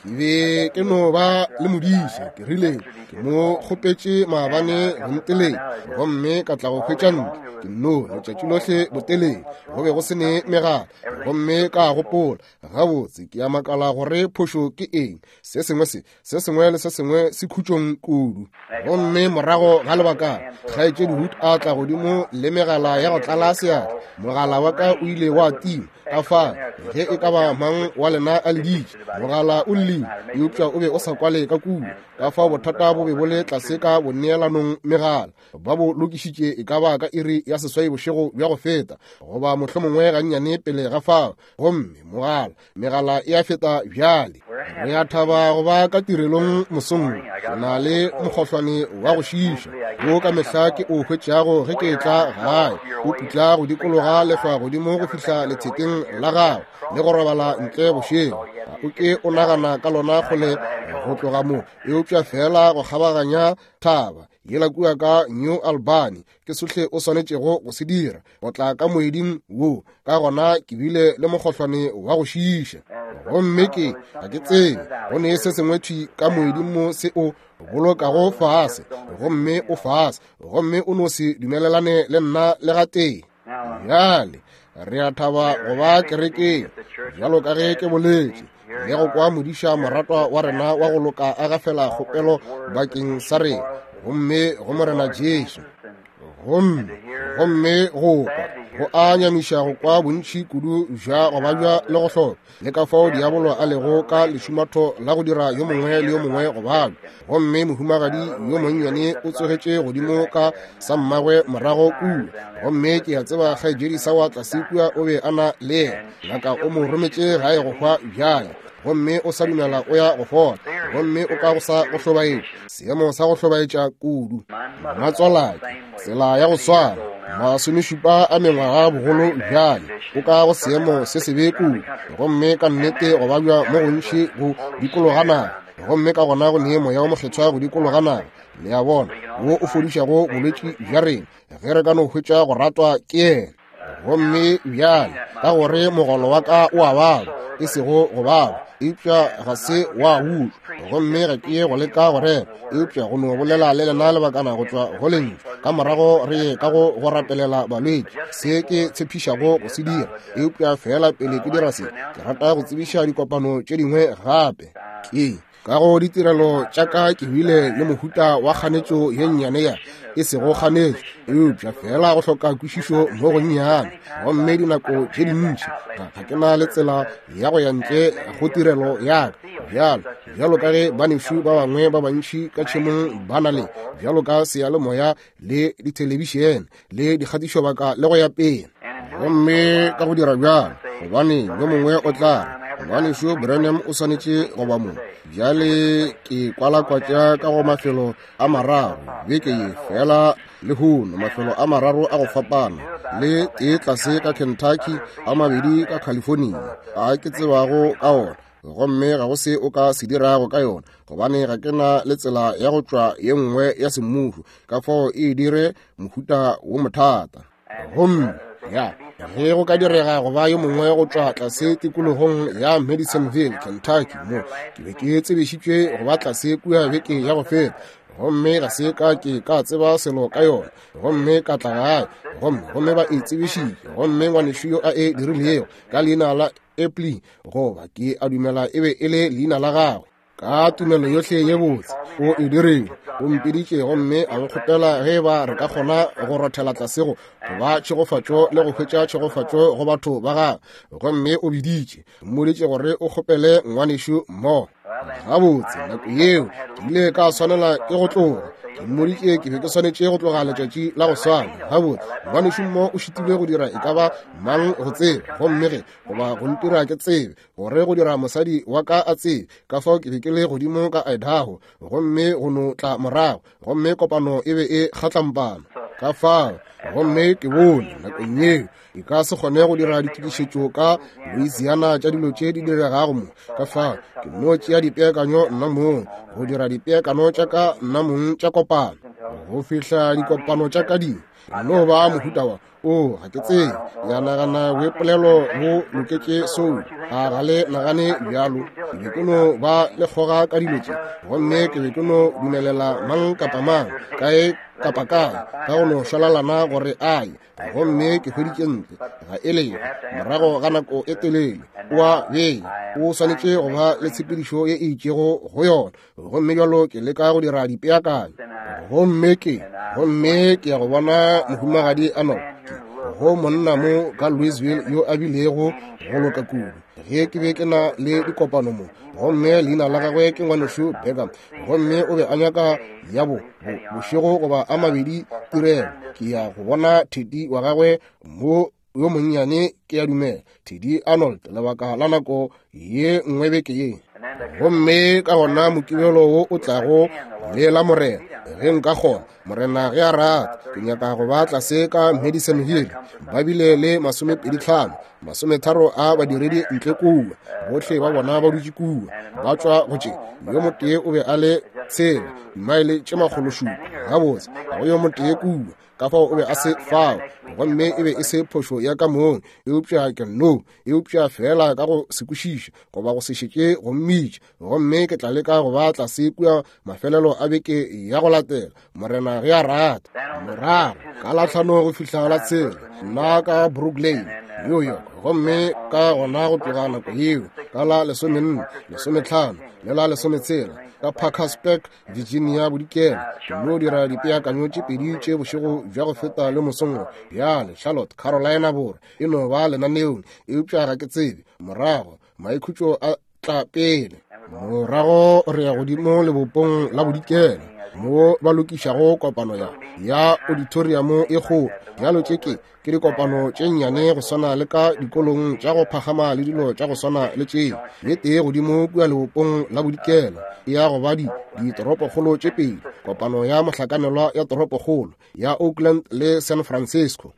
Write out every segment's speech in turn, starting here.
Ke be ke no ba le modiša, ke rile ke mo kgopetše maabane go nteleng, gomme ka tla go hwetša ntlo ke nno letšatši lohle botelele, go be go se ne megala. Gomme ka gopola, gabotse, ke a makala gore phošo ke eng, se sengwe se se sengwe le se sengwe se khutšong kudu. Gomme morago ga lebakana, Kgaetšedi Wood a tla godimo le megala ya go tlala seatla. Mogala wa ka o ile wa tima. Ka fa, ge e ka ba mang wa lena a leditše, mogala o llile, eupša o be o sa kwale ka kua. Ka fao bothata bo be bo le tlase ka boneelanong megala. Ba bo lokišitše e ka ba ka iri ya 8 bošego bja go feta, goba mohlomongwe gannyane pele ga fao. Gomme mogala, megala e a feta bjale. Re a thaba go ba ka tirelong mosong wo. Ke na le mokgohlwane wa go šiiša wo ka mehla ke o hwetšago ge ke etla gae. O putla go dikologa lehlwa godimo go fihla lethekeng la gago le go robala ntle bošego. Ga o ke o nagana ka lona kgole go tloga mo, eupša feela go kgabaganya thaba yela kua ka New Albany ke sohle o swanetšego go se dira, go tla ka moeding wo. Ka gona ke bile le mokgohlwane wa go šiiša, gomme ke ga ke tsebe go ne se sengwe thwi ka moeding mo se o bolokago fase, gomme o fase, gomme o no se dumelelane le nna le gatee. Bjale re a thaba go ba kerekeng, bjalo ka ge ke boletše, le go kwa modiša moratwa wa rena wa go loka a gafela kgopelo bakeng sa rena, gomme go Morena Jesu. Gomme, gomme go kwa go a nyamiša go kwa bontši kudu bja go babja le go hloka, le ka fao diabolo a lego ka lešumatho la go dira yo mongwe le yo mongwe go babja. Gomme mohumagadi yo monnyane o tsogetše godimo ka sa mmagwe morago kua, gomme ke a tseba kgaetšedi sa wa tlase kua o be a na le yena. Ngaka o mo rometše gae go hwa bjale, gomme o sa dumela o ya go fola, gomme o ka go sa go hlobaetša, seemo sa go hlobaetša kudu. Mmatswalake, tsela ya go swana, 70 a mengwaga bogolo bjale, o ka go seemo se sebe kudu, gomme ka nnete go babja mo gontši go dikologa naga, gomme ka gona go ne Moya wo Mokgethwa go dikologa naga, le a bona, wo o fodišago bolwetši bja rena, ge re ka no hwetša go ratwa ke yena. Gomme bjale, ka gore mogolo wa ka o a baba, e sego go baba, eupša ga se wa utlwa, gomme ga ke ye go leka go rera, eupša go no bolela le lena lebakana go tšwa go lentšu, ka morago re ye ka go go rapelela balwetši, se ke tshepišago go se dira. Eupša feela pele ke dira se, ke rata go tsebiša dikopano tše dingwe gape. Ke ka go ditirelo tša ka ke bile le mohuta wa kganetšo ye nnyane ya, e sego kganetšo, eupša feela go hloka kwešišo mo gonnyane. Gomme dinako tše dintši ga ke na le tsela ya go ya ntle go tirelo ya ka, bjalo, bjalo ka ge banešu ba bangwe ba bantši ka tšhemong ba na le, bjalo ka seyalemoya le dithelebišene le dikgatišobaka le go ya pele. Gomme ka go dira bjalo, gobane yo mongwe o tla re, Ngwanešu Branham o swanetše go ba mo. Bjale ke kwalakwatša ka go mafelo a mararo beke ye, feela lehono, mafelo a mararo a go fapana, le tee tlase ka Kentucky, a mabedi ka California, a ke tsebago ka ona. Gomme ga go se o ka se dirago ka yona, gobane ga ke na le tsela ya go tšwa ye nngwe ya semmušo, ka fao e dire mohuta wo mothata. Gomme ya ge go ka direga go ba yo mongwe go tšwa tlase tikologong ya Madisonville, Kentucky, mo ke be ke tsebišitšwe go ba tlase kua beke ya go feta, gomme ga se ka ke ka tseba selo ka yona, gomme ka tla gae, gomme, gomme ba e tsebišitše, gomme ngwanešu yo a e dirilego ka leina la Epley, goba ke a dumela e be e le leina la gagwe, ka tumelo yohle ye botse o e dirile, o mpiditše gomme a nkgopela ge eba re ka kgona go rothela tlase go ba tšhegofatšo le go hwetša tšhegofatšo go batho ba gagwe. Gomme o biditše, mmoditše gore o kgopele ngwanešu mo. Gabotse, nako yeo ke ile ka swanela ke go tloga. Ke mmoditše ke be ke swanetše go tloga letšatši la go swana. Gabotse, ngwanešu mo o šitilwe go dira e ka ba mang go tseba, gomme ge goba go ntira ke tsebe, gore go dira mosadi wa ka a tsebe, ka fao ke be ke le godimo ka Idaho, gomme go no tla morago, gomme kopano e be e kgatlampana. Ka fao, gomme ke bone nakong yeo e ka se kgone go dira ditokišetšo ka Louisiana tša dilo tše di diregago mo. Ka fao ke no tšea dipeakanyo nna mong, go dira dipeakano tša ka nna mong tša kopano, go fihla dikopano tša ka di. No ba mohuta wa o ga ke tsebe ya nagana boipolelo bo loketše sou a ga le nagane bjalo. Ke be ke no ba le kgoga ka dilo tše, gomme ke be ke no dumelela mang kapa mang kae kapa kae ka go no šwalalana gore a ye, gomme ke hweditše ntle ga e lego morago ga nako e telele o a bea, o swanetše go ba le tshepedišo ye e itšego go yona, gomme bjalo ke leka go dira dipeakanyo. Gomme ke ya go bona mohumagadi Arnold, go monna mo ka Louisville yo a bilego go loka kudu ge ke be ke na le dikopano mo, gomme leina la gagwe ke ngwanešu Beckham, gomme o be a nyaka ya bo bošego goba a mabedi tirelo. Ke ya go bona Teddy wa gagwe mo yo monnyane, ke ya dumela Teddy Arnold, lebaka la nako ye nngwe beke ye. Gomme ka gona mokibelo wo o tlago le la Morena, ge nka kgona, Morena ge a rata, ke nyaka go ba tlase ka Madison Hill. Ba bile le 25 30 a badiredi ntle kua, bohle ba bona ba dutše kua, ba tšwa go tše. Yo motee o be a le tshela dimaele tše 700, gabotse ga go yo motee kua, ka fao o be a se fao, gomme e be e se phošo ya ka mong, eupša ke no, eupša fela ka go se kwešiše goba go se šetše go mmitša. Gomme ke tla leka go ba tlase kua mafelelo a beke ya go latela, Morena ge a rata. Morago ka la 5 go fihla la 6 nna ka Brooklyn, New York, gomme ka gona go tloga nako yeo ka la 14, 15 le la 16 ka Parkersburg, Virginia bodikela. Ke no dira dipeakanyo tše pedi tše bošego bja go feta le mosong bjale Charlotte, Carolina Borwa e no ba lenaneong, eupša ga ke tsebe. Morago maikhutšo a tla pele, morago re ya godimo lebopong la bodikela mo ba lokišago kopano ya auditorium e kgolo. Bjalo tše ke dikopano tše nnyane go swana le ka dikolong tša go phagama le dilo tša go swana le tšeo. Ye tee godimo kua lebopong la bodikela e ya go ba ditoropokgolo tše pedi, kopano ya mohlakanelwa ya toropokgolo ya Oakland le San Francisco.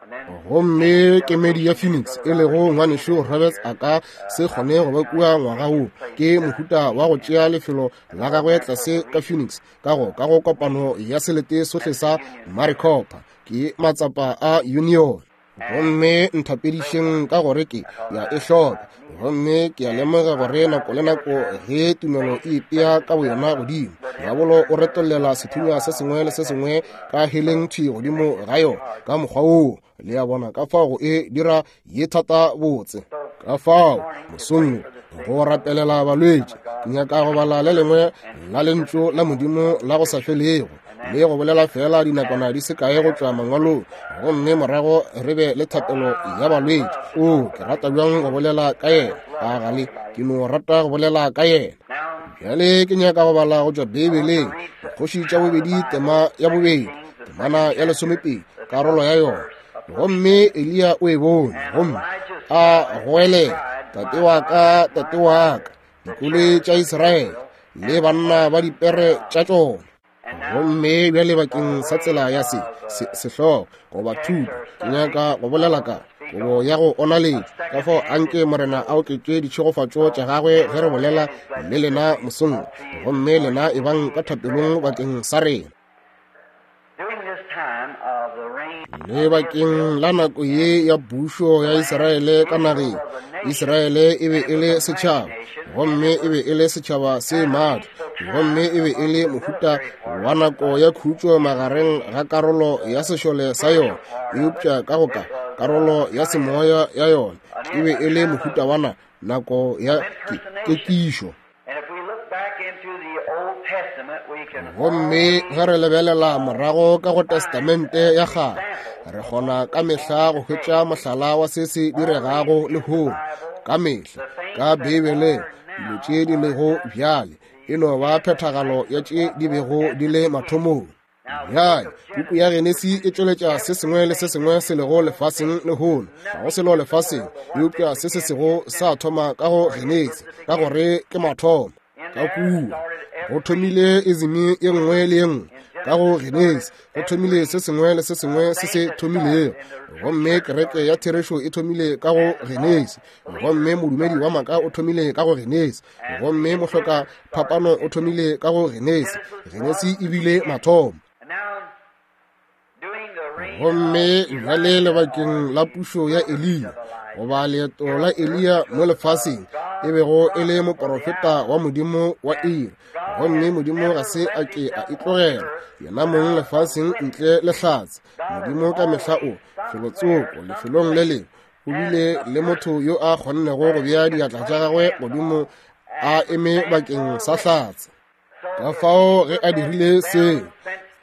Gomme kemedi ya Phoenix e lego ngwanešu Roberts a ka se kgone go ba kua ngwaga wo, ke mohuta wa go tšea lefelo la gagwe tlase ka Phoenix ka go kopano ya selete sohle sa Maricopa, ke matsapa a union. Gomme nthapedišeng ka gore ke ya e hloka, gomme ke a lemoga gore nako le nako ge tumelo e ipea ka boyona godimo, diabolo o retollela sethunya se sengwe le se sengwe ka heleng thwi godimo ga yona ka mokgwa woo. Le a bona ka fao go e dira ye thata botse. Ka fao mosong go rapelela balwetši, ke nyaka go bala le lengwe la lentšu la Modimo la go sa felego le go bolela fela dinakwana di se kae go tšwa mangwalong, gomme morago re be le thapelo ya balwetši. O, ke rata bjang go bolela ka yena, a gale ke no rata go bolela ka yena. Bjale ke nyaka go bala go tšwa Beibeleng, Dikgoši tša bobedi tema ya bobedi, temana ya 12, karolo ya yona. Gomme Eliya o e bone, gomme a goelela, Tate wa ka, tate wa ka, dikoloi tša Israele le banna ba dipere tša tšona. Gomme bjale bakeng sa tsela ya se sehlogo goba thuto, ke nyaka go bolela ka kobo ya go onaletša. Ka fao anke Morena a oketše ditšhegofatšo tša gagwe ge re bolela le lena mosong, gomme lena ebang ka thapelong bakeng sa rena. Le bakeng la nako ye ya pušo ya Israele ka nageng, Israele e be e le setšhaba, gomme e be e le setšhaba se matla, gomme e be e le mohuta wa nako ya khutšo magareng ga karolo ya sešole sa yona, eupša ka go ka karolo ya semoya ya yona e be e le mohuta wa nako ya kekišo. Gomme ge re lebelela morago ka go Testamente ya Kgale, re kgona ka mehla go hwetša mohlala wa se se diregago lehono. Ka mehla ka Beibeleng dilo tše di lego bjale e no ba phethagalo ya tše di bego di le mathomong. Bjale puku ya Genesi e tšweletša se sengwe le se sengwe se lego lefaseng lehono. Ga go selo lefaseng eupša se se sego sa thoma ka go Genesi, ka gore ke mathomo. Ka kua go thomile izimi ye nngwe le ye nngwe. Ka go Genesi go thomile se sengwe le se sengwe se se thomilego, gomme kereke ya therešo e thomile ka go Genesi, gomme modumedi wa maaka o thomile ka go Genesi, gomme mohloka phapano o thomile ka go Genesi. Genesi e bile mathomo. Gomme bjale lebakeng la pušo ya Eliya, goba leeto la Eliya mo lefaseng, e bego e le moporofeta wa Modimo wa iri, gomme Modimo ga se a ke a itlogela yena mong lefaseng ntle le hlatse. Modimo ka mehla o felotsoko lefelong le lengwe o bile le motho yo a kgonnego go bea diatla tša gagwe godimo a eme bakeng sa hlatse. Ka fao ge a dirile seo,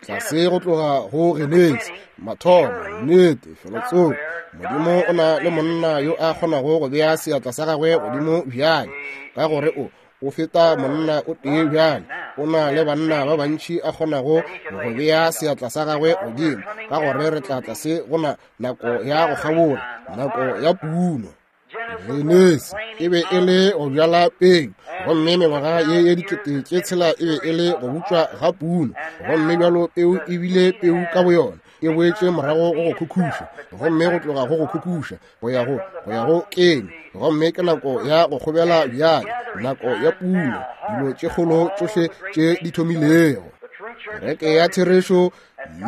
tlase go tloga go Genesi, mathomo, nnete, felotsoko, Modimo o na le monna yo a kgonago go bea seatla sa gagwe godimo bjale, ka gore o o feta monna o tee bjale, o na le banna ba bantši a kgonago go bea seatla sa gagwe godimo, ka gore re tla tlase go na nako ya go kgabola, nako ya puno. Genesi e be e le go bjala peu, gomme mengwaga ye ye 6000 e be e le go butšwa ga puno, gomme bjalo peu e bile peu ka boyona, e boetše morago go go khukhuša, gomme go tloga go go khukhuša go ya go go ya go keng, gomme ke nako ya go kgobela bjale, nako ya puno, dilo tše kgolo tšohle tše di thomilego. Kereke ya therešo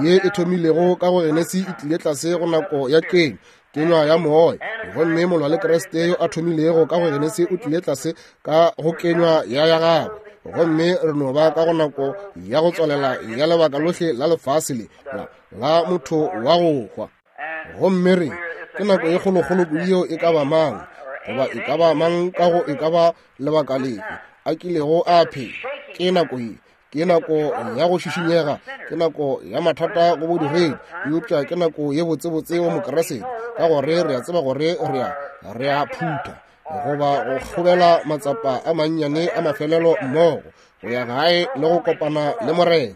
ye e thomilego ka go Genesi e tlile tlase go nako ya keng, kenywa ya moya, gomme molwa le Kriste yo a thomilego ka go Genesi o tlile tlase ka go kenywa ya ya gagwe, gomme re no ba ka go nako ya go tswalela ya lebaka lohle la lefase le la, la motho wa go hwa. Gomme re ke nako ye kgolokgolo kudu yeo e ka ba mang goba e ka ba mang ka go e ka ba lebaka lefe a kilego a phela. Ke nako ye, ke nako ya go šišinyega, ke nako ya mathata go bodiredi, eupša ke nako ye botsebotse go Mokeresete, ka gore re a tseba gore re a phutha goba go kgobela matsapa a mannyane a mafelelo mmogo go ya gae le go kopana le Morena.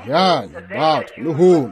Bjale batho lehono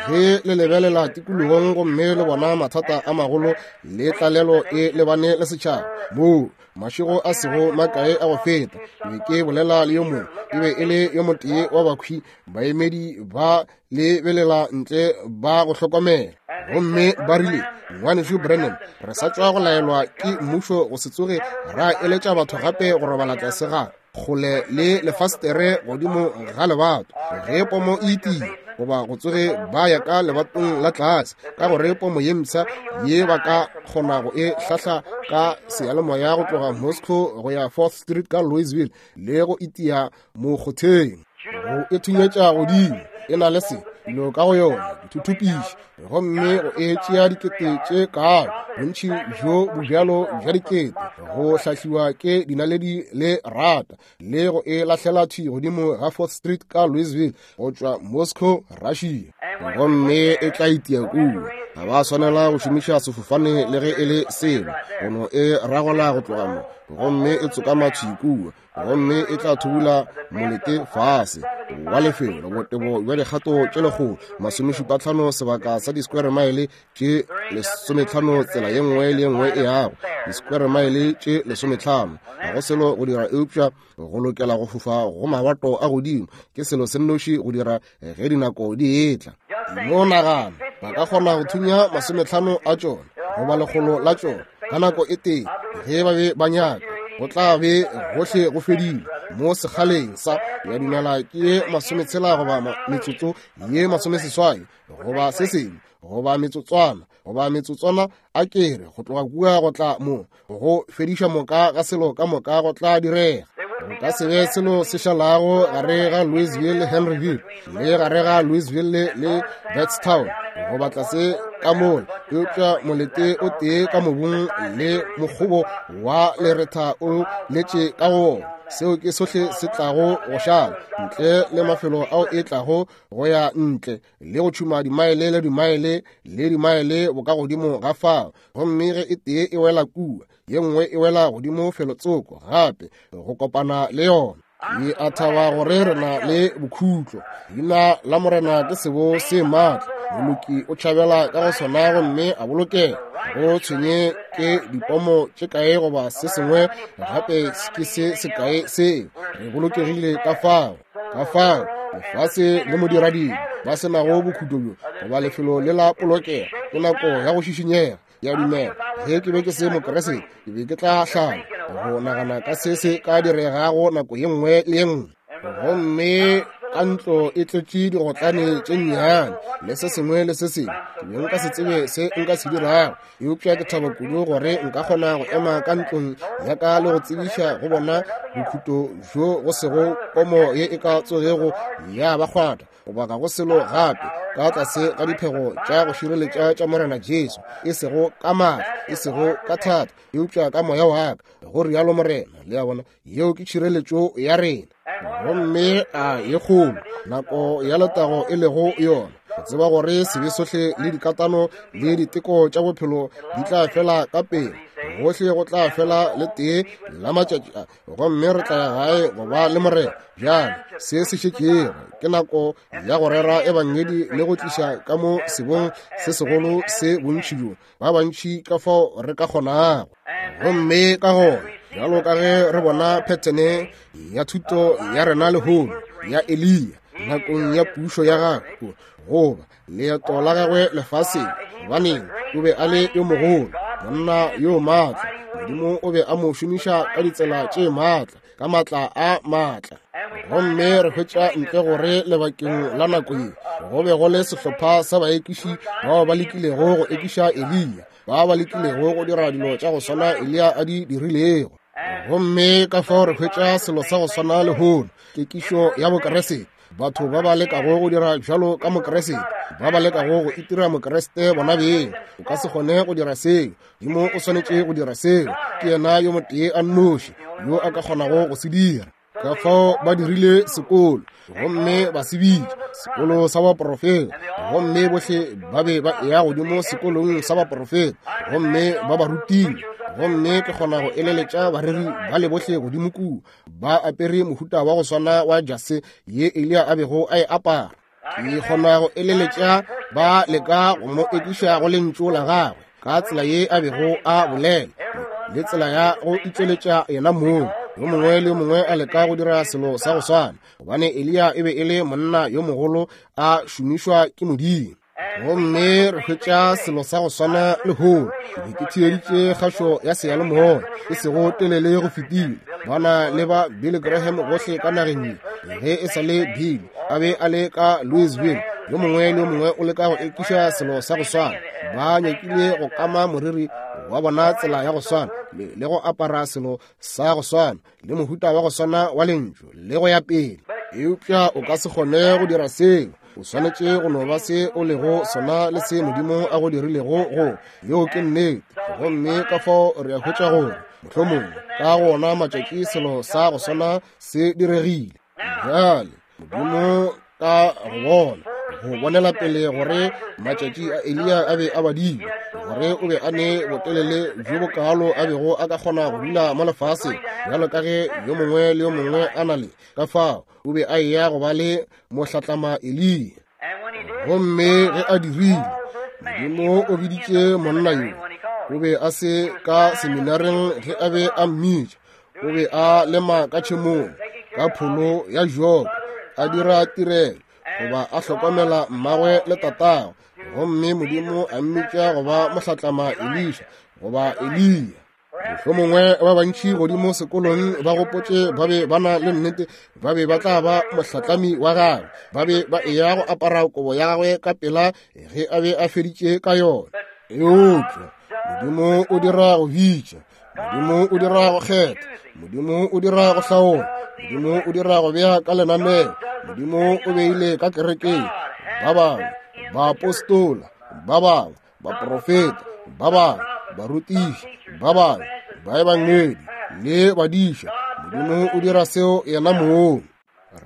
ge le lebelela tikologong gomme le bona mathata a magolo le tlalelo e lebane le setšhaba, moo mašego a sego makae a go feta be ke bolela le yo mongwe, e be e le yo motee wa bakhwi baemedi ba lebelela ntle ba go hlokomela, gomme ba rile, Ngwanešu Branham, re sa tšwa go laelwa ke mmušo go se tsoge ra eletša batho gape go robala tlase ga kgole le lefastere godimo ga lebato ge pomo e itile, goba go tsoge ba ya ka lebatong la tlase, ka gore pomo ye mpsha ye ba ka kgona go e hlahla ka seyalemoya go tloga Moscow go ya 4th Street ka Louisville le go itia mokgotheng, go e thunyetša godimo, e na le se dilo ka go yona, dithuthupiši, gomme go e tšea dikete tše kaalo, bontši bjo bo bjalo bja dikete, go hlahliwa ke dinaledi le rata, le go e lahlela thwi godimo ga 4th Street ka Louisville go tšwa Moscow, Russia, gomme e tla itia kua. Ga ba swanela go šomiša sefofane le ge e le selo, go no e ragola go tloga mo, gomme e tsokama thwi kua, gomme e tla thubula molete fase wa lefelo botebo bja dikgato tše 175, sebaka sa di-square mile tše 15, tsela ye nngwe le ye nngwe e yago di-square mile tše 15. Ga go selo go dira eupša go lokela go fofa go mabato a godimo, ke selo se nnoši go dira ge dinako di etla. No nagana, ba ka kgona go thunya 50 a tšona goba 100 la tšona ka nako e tee ge ba be ba nyaka, go tla be gohle go fedile mo sekgaleng sa ya dumela ke ye 60 goba metsotso ye 80 goba se sengwe, goba metsotswana, goba metsotswana a kere go tloga kua go tla mo go fediša moka ga selo ka moka go tla direga. Go ka se be selo se šalago gare ga Louisville le Henryville, le gare ga Louisville le Beardstown, goba tlase ka mola, eupša molete o tee ka mobung le mokgobo wa leretha o letše ka go wona. Seo ke sohle se tlago go šala, ntle le mafelo ao e tlago go ya ntle le go tšhuma dimaele le dimaele le dimaele bokagodimo ga fao, gomme ge e tee e wela kua, ye nngwe e wela godimo felotsoko gape go kopana le yona. Ke a thaba gore re na le bokhutlo. Leina la Morena ke sebo se maatla, moloki o tšhabela ka go sona gomme a bolokega. Go tshwenye ke dipomo tše kae goba se sengwe gape ke se sekae seo, re bolokegile ka fao. Ka fao lefase le modirading ba se nago bokhutlo bjo goba lefelo le la polokego, ke nako ya go šišinyega. Ya dumela, ge ke be ke se Mokeresete, ke be ke tla hlala go nagana ka se se ka diregago nako ye nngwe le ye nngwe. Gomme ka ntlo e tletše digotlane tše nnyane le se sengwe le se sengwe. Ke be nka se tsebe se nka se dirago, eupša ke thaba kudu gore nka kgona go ema ka ntlong ya ka le go tsebiša go bona bokhuto bjo go sego pomo ye e ka tsogego ya ba kgwata goba ga go selo gape ka tlase ga diphego tša go šireletša tša Morena Jesu, e sego ka maatla, e sego ka thata, eupša ka moya wa ka, go rialo Morena. Le a bona, yeo ke tšhireletšo ya rena. Gomme a ye kgolo nako ya letago e lego yona, go tseba gore sebe sohle le dikatano le diteko tša bophelo di tla fela ka pele, gohle go tla fela le tee la matšatši a, gomme re tla ya gae go ba le Morena. Bjale se se šetšego ke nako ya go rera ebangedi le go tliša ka mo sebong se segolo se bontši bjo ba bantši ka fao re ka kgonago. Gomme ka gona, bjalo ka ge re bona phethene ya thuto ya rena lehono ya Eliya nakong ya pušo ya gagwe goba leeto la gagwe lefaseng, gobaneng o be a le yo mogolo, monna yo maatla. Modimo o be a mo šomiša ka ditsela tše maatla, ka maatla a maatla. Gomme re hwetša ntle gore lebakeng la nako ye go be go le sehlopha sa baekiši bao ba lekilego go ekiša Eliya, ba ba lekilego go dira dilo tša go swana Eliya a di dirilego. Gomme ka fao re hwetša selo sa go swana lehono, kekišo ya Bokeresete, batho ba ba lekago go dira bjalo ka Mokeresete, ba ba lekago go itira Mokeresete bona beng. O ka se kgone go dira seo. Modimo o swanetše go dira seo. Ke yena yo motee a nnoši yo a ka kgonago go se dira. Ka fao ba dirile sekolo, gomme ba se bitša sekolo sa baprofeta, gomme bohle ba be ba eya godimo sekolong sa baprofeta, gomme ba ba rutile. Gomme ke kgona go eleletša bareri ba le bohle godimo kua ba apere mohuta wa go swana wa jase ye Eliya a bego a e apara. Ke kgona go eleletša ba leka go mo ekiša go lentšu la gagwe ka tsela ye a bego a bolela le tsela ya go itšweletša yena mong. Yo mongwe le yo mongwe a leka go dira selo sa go swana, gobane Eliya e be e le monna yo mogolo a šomišwa ke Modimo. Gomme re hwetša selo sa go swana lehono. Ke be ke theeditše kgašo ya seyalemoya e sego telele go fetile, ba na le ba Billy Graham gohle ka nageng ye, ge e sa le Bill a be a le ka Louisville. Yo mongwe le yo mongwe o leka go ekiša selo sa go swana. Ba nyakile go kama moriri wa bona tsela ya go swana, le go apara selo sa go swana, le mohuta wa go swana wa lentšu, le go ya pele. Eupša o ka se kgone go dira seo. O swanetše go no ba se o lego sona le se Modimo a go dirilego go. Yeo ke nnete. Gomme ka fao re a hwetša gore mohlomongwe ka go ona matšatši selo sa go swana se diregile. Bjale Modimo ka go bona go bonela pele gore matšatši a Eliya a be a badilwe, gore o be a ne botelele bjo bokalo a bego a ka kgona go dula mo lefaseng bjalo ka ge yo mongwe le yo mongwe a na le, ka fao o be a eya go ba le mohlatlama Eliya. Gomme ge a dirile, Modimo o biditše monna yo. O be a se ka seminareng ge a be a mmitša. O be a lema ka tšhemong ka pholo ya joko, a dira tirelo goba a hlokomela mmagwe le tatagwe. Gomme Modimo a mmitša go ba mohlatlama Elisha goba Eliya. Mohlomongwe ba bantši godimo sekolong ba gopotše ba be ba na le nnete, ba be ba tla ba mohlatlami wa gagwe, ba be ba eya go apara kobo ya gagwe ka pela ge a be a feditše ka yona. Eupša Modimo o dira go bitša, Modimo o dira go kgetha, Modimo o dira go hlaola, Modimo o dira go bea ka lenaneo. Modimo o beile ka kerekeng ba bangwe baapostola, ba bangwe baprofeta, ba bangwe barutiši, ba bangwe baebangedi le badiša. Modimo o dira seo yena mong.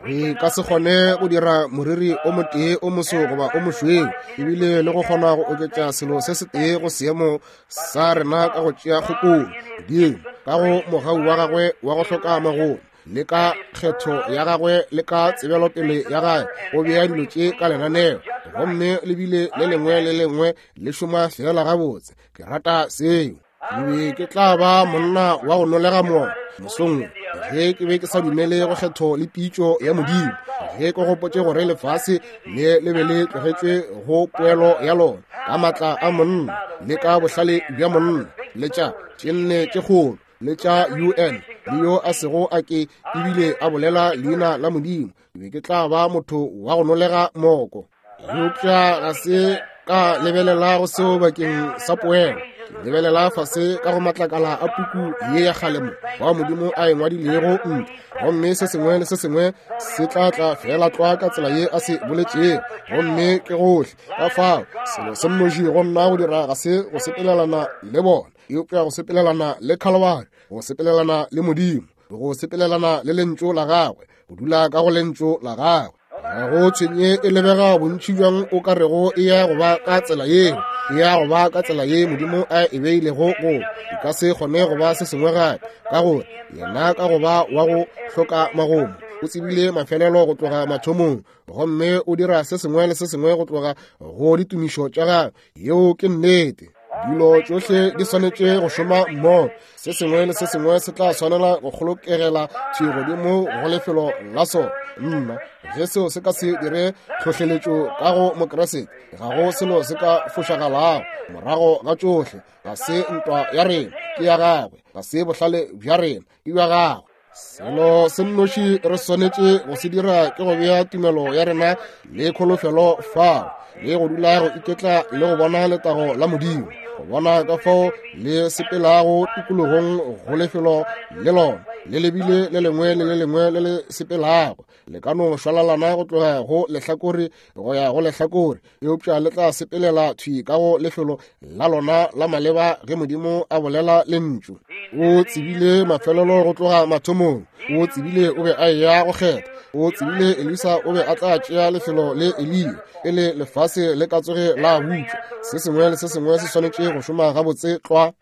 Re ka se kgone go dira moriri o motee o moso goba o mošweu, ebile le go kgona go oketša selo se setee go seemo sa rena ka go tšea kgopolo. Modimo ka go mogau wa gagwe wa go hloka magomo, le ka kgetho ya gagwe le ka tsebelopele ya gagwe, o bea dilo tše ka lenaneo, gomme le bile le lengwe le lengwe le šoma feela gabotse. Ke rata seo. Ke be ke tla ba monna wa go nolega moya mosong wo ge ke be ke sa dumele go kgetho le pitšo ya Modimo, ge ke gopotše gore lefase le le be le tlogetšwe go poelo ya lona ka maatla a monna le ka bohlale bja monna le tša tše nne tše kgolo le tša UN. le yo a sego a ke ebile a bolela leina la Modimo, ke be ke tla ba motho wa go nolega moko. Eupša ga se ka lebelela go seo bakeng sa poelo. Ke lebelela fase ka go matlakala a puku ye ya kgale mo wa Modimo a e ngwadilego ntle, gomme se sengwe le se sengwe se tla tla feela tlwa ka tsela ye a se boletšego, gomme ke gohle. Ka fao selo se nnoši go nna go dira ga se go sepelelana le bona, eupša go sepelelana le Khalibari, go sepelelana le Modimo, go sepelelana le Lentšu la Gagwe, go dula ka go Lentšu la Gagwe. Ga go tshwenye e lebega bontši bjang o ka rego e ya go ba ka tsela yeo, e ya go ba ka tsela ye Modimo a e beilego go, e ka se kgone go ba se sengwe gape, ka gore yena ka go ba wa go hloka magomo o tsebile mafelelo go tloga mathomong, gomme o dira se sengwe le se sengwe go tloga go ditumišo tša gagwe. Yeo ke nnete. Dilo tšohle di swanetše go šoma mmogo. Se sengwe le se sengwe se tla swanela go kgolokegela thwi godimo go lefelo la sona. Nna, ge seo se ka se dire tlhohleletšo ka go Mokriste, ga go selo se ka fošagalago. Morago ga tšohle, ga se ntwa ya rena, ke ya gagwe. Ga se bohlale bja rena, ke bja gagwe. Selo se nnoši re swanetše go se dira ke go bea tumelo ya rena le kholofelo fao, le go dula go iketla le go bona letago la Modimo, go bona ka fao le sepelago tikologong go lefelo le lona le lebile le lengwe le le lengwe le le sepelago. Le ka no šwalalana go tloga go lehlakore go ya go lehlakore, eupša le tla sepelela thwi ka go lefelo la lona la maleba ge Modimo a bolela lentšu. O tsebile mafelelo go tloga mathomong. O tsebile o be a eya go kgetha. O tsebile Elisa o be a tla tšea lefelo le Eliya pele lefase le ka tsoge la butšwa. Se sengwe le se sengwe se swanetše go šoma gabotse tlwa.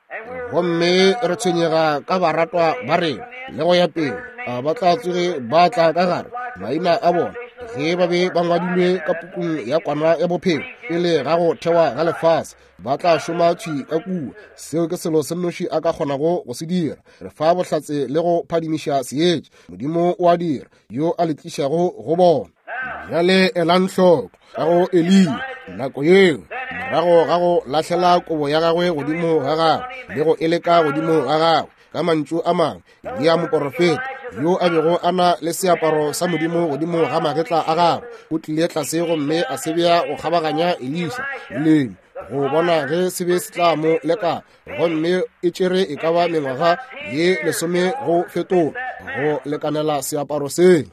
Gomme re tshwenyega ka baratwa ba rena le go ya pele, a ba tla tsoge ba tla ka gare maina a bona ge ba be ba ngwadilwe ka pukung ya kwana ya bophelo pele ga go thewa ga lefase, ba tla šoma thwi ka kua. Seo ke selo se nnoši a ka kgonago go se dira. Re fa bohlatse le go phadimiša seetša. Modimo o a dira, yo a le tlišago go bona. Bjale elang hloko ka go Eliya nako yeo, morago ga go lahlela kobo ya gagwe godimo ga gagwe le go e leka godimo ga gagwe, ka mantšu a mangwe, Eliya moporofeta yo a bego a na le seaparo sa Modimo godimo ga magetla a gagwe, o tlile tlase gomme a se bea go kgabaganya Elisa leleme go bona ge se be se tla mo leka, gomme e tšere e ka ba mengwaga ye lesome go fetola go lekanela seaparo seo.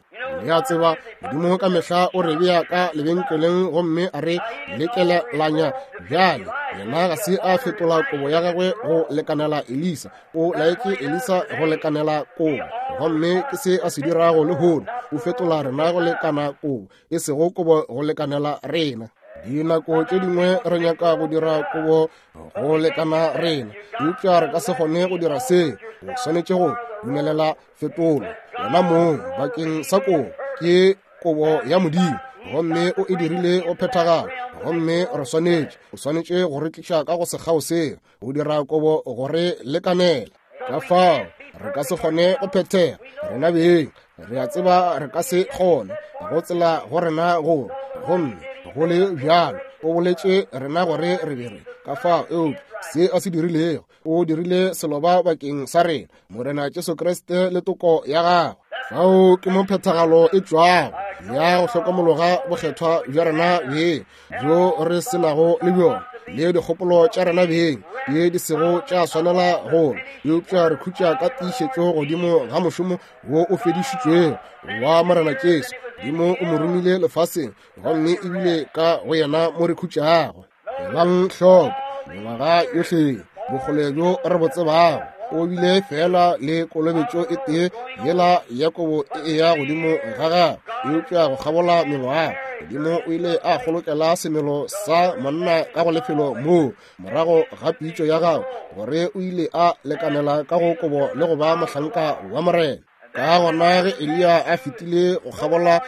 Le a tseba, Modimo ka mehla o re bea ka lebenkeleng gomme a re lekelelanya. Bjale yena ga se a fetola kobo ya gagwe go lekanela Elisa, o laetše Elisa go lekanela kobo, gomme ke se a se dirago lehono, o fetola rena go lekana kobo, e sego kobo go lekanela rena. Dinako tše dingwe re nyaka go dira kobo go lekana rena, eupša re ka se kgone go dira se. O swanetše go dumelela fetolo yona mong bakeng sa kobo. Ke kobo ya Modimo, gomme o e dirile go phethagala, gomme re swanetše, o swanetše go re tliša ka go sekgao seo, go dira kobo go re lekanela. Ka fao re ka se kgone go phethega rena beng, re a tseba re ka se kgone go tsela go rena go, gomme go le bjalo o boletše rena gore re be re ka fao. Eupša se a se dirilego, o dirile seloba bakeng sa rena, Morena Jesu Kriste le toko ya gagwe. Fao ke mo phethagalo e tšwago ya go hlokomologa bokgethwa bja rena beng bjo re se nago le bjona, le dikgopolo tša rena beng ye di sego tša swanela go, eupša re khutša ka tiišetšo godimo ga mošomo wo o fedišitšwego wa Morena Jesu. Modimo o mo romile lefaseng, gomme ebile ka go yena mo re khutšago. Elang hloko, mengwaga yohle bokgole bjo re bo tsebago, o bile fela le kolobetšo e tee yela ya kobo e eya godimo ga gagwe, eupša go kgabola mengwaga Modimo o ile a kgolokela semelo sa monna ka go lefelo moo morago ga pitšo ya gagwe gore o ile a lekanela ka go kobo le go ba mohlanka wa Morena. Ka gona ge Eliya a fetile go kgabola,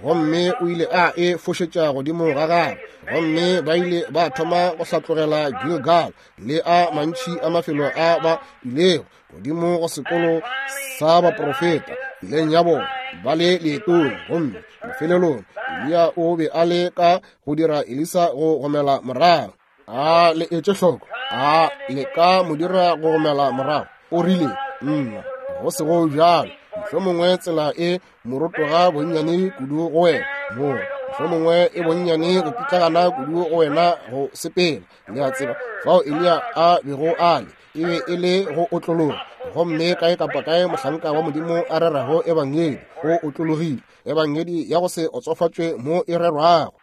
gomme o ile a e fošetša godimo ga gagwe, gomme ba ile ba thoma go hlatlogela Gilgal le a mantši a mafelo a ba ilego godimo go sekolo sa baprofeta tseleng ya bona ba le leetong. Gomme mafelelong Eliya o be a le ka go dira Elisa go gomela morago. A le etše hloko, a le ka mo dira go gomela morago? O rile, Nna. Go sego bjalo, mohlomongwe tsela e morotoga bonnyane kudu go wena mo, mohlomongwe e bonnyane go pitlagana kudu go wena go sepela. Le a tseba, fao Eliya a bego a le, e be e le go otlologa. Gomme kae kapa kae mohlanka wa Modimo a rerago ebangedi, o otlologile. Ebangedi ya go se otsofatšwe mo e rerwago.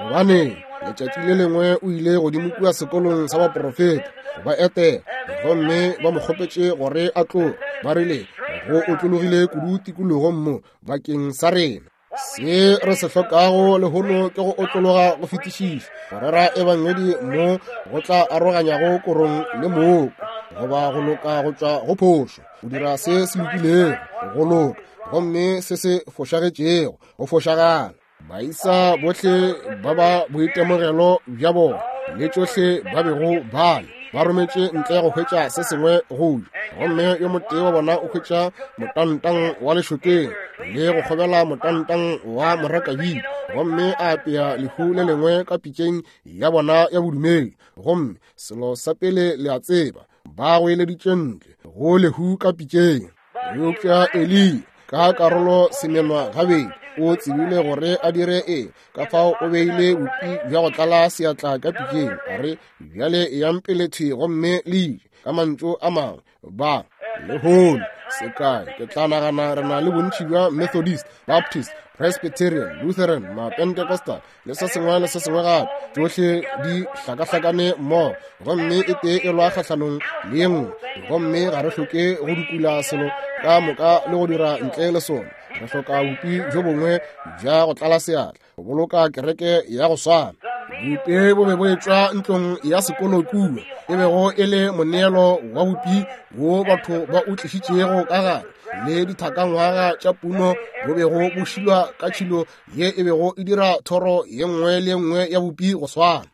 Gobane letšatši le lengwe o ile godimo kua sekolong sa baprofeta go ba etela, gomme ba mo kgopetše gore a tloge. Ba rile, go otlologile kudu tikologong mo bakeng sa rena. Se re se hlokago lehono ke go otlologa go fetišiša, go rera ebangedi mo go tla aroganyago korong le mooko, goba go loka go tšwa go phošo, go dira se se lokilego go loka, gomme se se fošagetšego go fošagala. Baisa bohle ba ba boitemogelo bja bona le tšohle ba bego ba le ba rometše ntle go hwetša se sengwe go ja, gomme yo motee wa bona o hwetša motantang wa lešokeng le go kgobela motantang wa morakabidi, gomme a apea lehu le lengwe ka pitšeng ya bona ya bodumedi. Gomme selo sa pele le a tseba, ba goeleditše ntle go lehu ka pitšeng. Eupša Eliya ka karolo semenwa gabedi o tsebile gore a dire eng, ka fao o beile bupi bja go tlala seatla ka pitšeng, a re, Bjale eyang pele thwi gomme le je. Ka mantšu a mangwe, ba lehono sekai, ke tla nagana re na le bontši bja Methodist, Baptist, Presbyterian, Lutheran, Mapentecostal le se sengwe le se sengwe gape, tšohle di hlakahlakane mmogo, gomme e tee e lwa kgahlanong le ye nngwe, gomme ga re hloke go dukula selo ka moka le go dira ntle le sona. Re hloka bupi bjo bongwe bja go tlala seatla go boloka kereke ya go swana. Bupi bo be bo etšwa ntlong ya sekolo kua, e bego e le moneelo wa bupi wo batho ba o tlišitšego ka gare, le dithakangwaga tša puno bo bego bo šilwa ka tšhilo ye e bego e dira thoro ye nngwe le ye nngwe ya bupi go swana.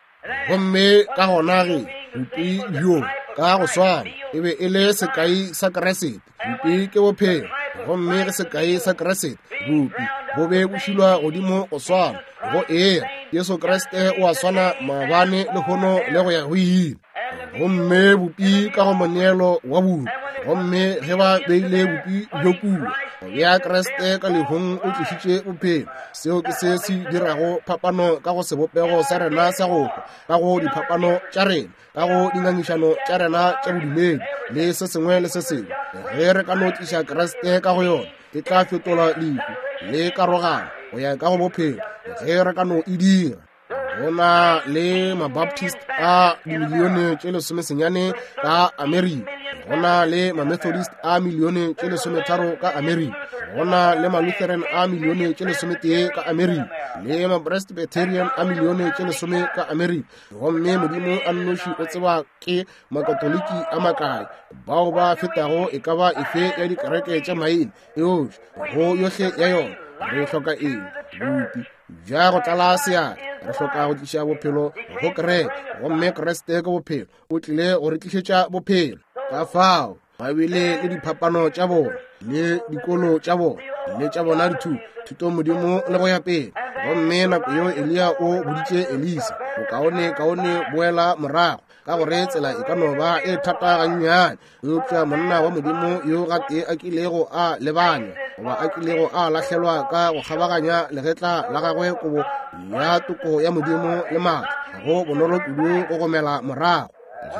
Gomme ka gona ge bupi bjo ka go swana e be e le sekai sa Kriste. Bupi ke bophelo, gomme ge sekai sa Kriste bupi bo be bo šilwa godimo go swana go era, Jesu Kriste o a swana maabane, lehono le go ya go ile. Gomme bupi ka go moneelo wa bupi, gomme ge ba beile bupi bjo kua, go bea Kriste ka lehung o tlišitše bophelo. Seo ke se se dirago phapano ka go sebopego sa rena sa go hwa, ka go diphapano tša rena, ka go dingangišano tša rena tša bodumedi le se sengwe le se sengwe. Ge re ka no tliša Kriste ka go yona, e tla fetola lehu le karogano go ya ka go bophelo, ge re ka no e dira. Go na le Mabaptist a dimilione tše 19 ka Amerika, go na le Mamethodist a milione tše 13 ka Amerika, go na le Malutheran a milione tše 11 ka Amerika, le Mapresbyterian a milione tše 10 ka Amerika. Gomme Modimo a nnoši o tseba ke Makatoliki a makae bao ba fetago e ka ba efe ya dikereke tša maina, eupša go yohle ya yona re hloka eng? Bupi bja go tlala seatla. Re hloka go tliša bophelo go kereke, gomme Kriste ke bophelo, o tlile go re tlišetša bophelo. Ka fao ba bile le diphapano tša bona le dikolo tša bona le tša bona dithuto, thuto modimo le go ya pele. Gomme nako yeo Eliya o boditše Elisa, bokaone kaone boela morago, ka gore tsela e ka no ba e thata gannyane, eupša monna wa Modimo yo gatee a kilego a lebanywa goba a kilego a lahlelwa ka go kgabaganya legetla la gagwe kobo ya toko ya Modimo le maatla, ga go bonolo kudu go gomela morago.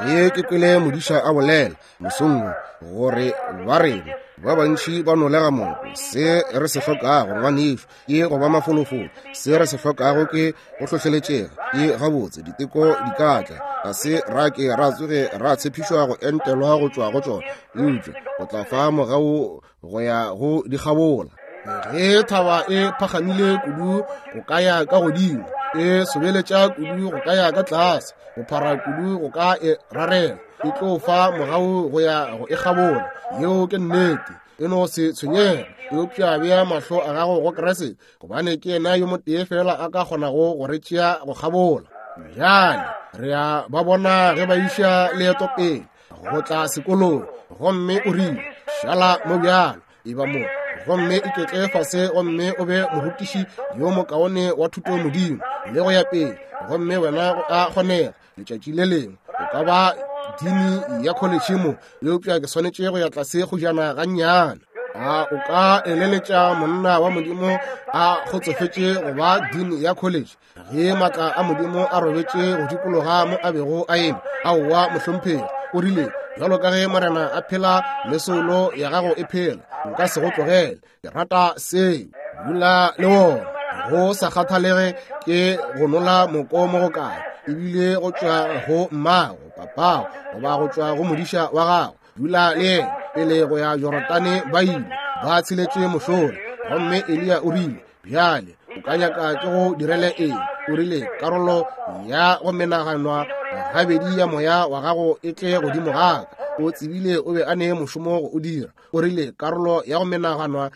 Ge ke kwele modiša a bolela mosong wo gore ba rena ba bantši ba nolega moko, se re se hlokago ngwanešu ke go ba mafolofolo, se re se hlokago ke go hlohleletšega. Ke gabotse diteko di ka tla, ga se ra ke ra tsoge ra tshepišwa go entelwa go tšwa go tšona, eupša go tla fa mogau go ya go di kgabola. Ge thaba e phagamile kudu go ka ya ka godimo, e sobeletša kudu go ka ya ka tlase, go phara kudu go ka e rarela, e tlo fa mogau go ya go e kgabola. Yeo ke nnete. E no se tshwenyege, eupša bea mahlo a gago go Kriste, gobane ke yena yo motee fela a ka kgonago go re tšea go kgabola. Bjale re a ba bona ge ba iša leeto pele go tla sekolong, gomme o rile, šala mo bjalo, e ba mo, gomme iketle fase gomme o be morutiši yo mokaone wa thuto modimo le go ya pele, gomme wena go a kgonega letšatši le lengwe o ka ba dini ya kholetšhe mo, eupša ke swanetše go ya tlase go jana gannyane. A o ka eleletša monna wa Modimo a kgotsofetše go ba dini ya kholetšhe ge maatla a Modimo a robetše go dikologa mo a bego a eme? Aowa, mohlomphegi. O rile, bjalo ka ge Morena a phela le soulo ya gago e phela, nka se go tlogele. Ke rata seo. Dula le wona. Go sa kgathalege ke go nola moko mo go kae, ebile go tšwa go mmago, papago, goba go tšwa go modiša wa gago, dula le yena. Pele go ya Jorodane ba ile ba tsheletše mošola, gomme Eliya o rile, bjale o ka nyaka ke go direle eng? O rile, karolo ya go menaganwa gabedi ya moya wa gago e tle godimo ga ka. O tsebile o be a ne mošomo go o dira. O rile, karolo ya go menaganwa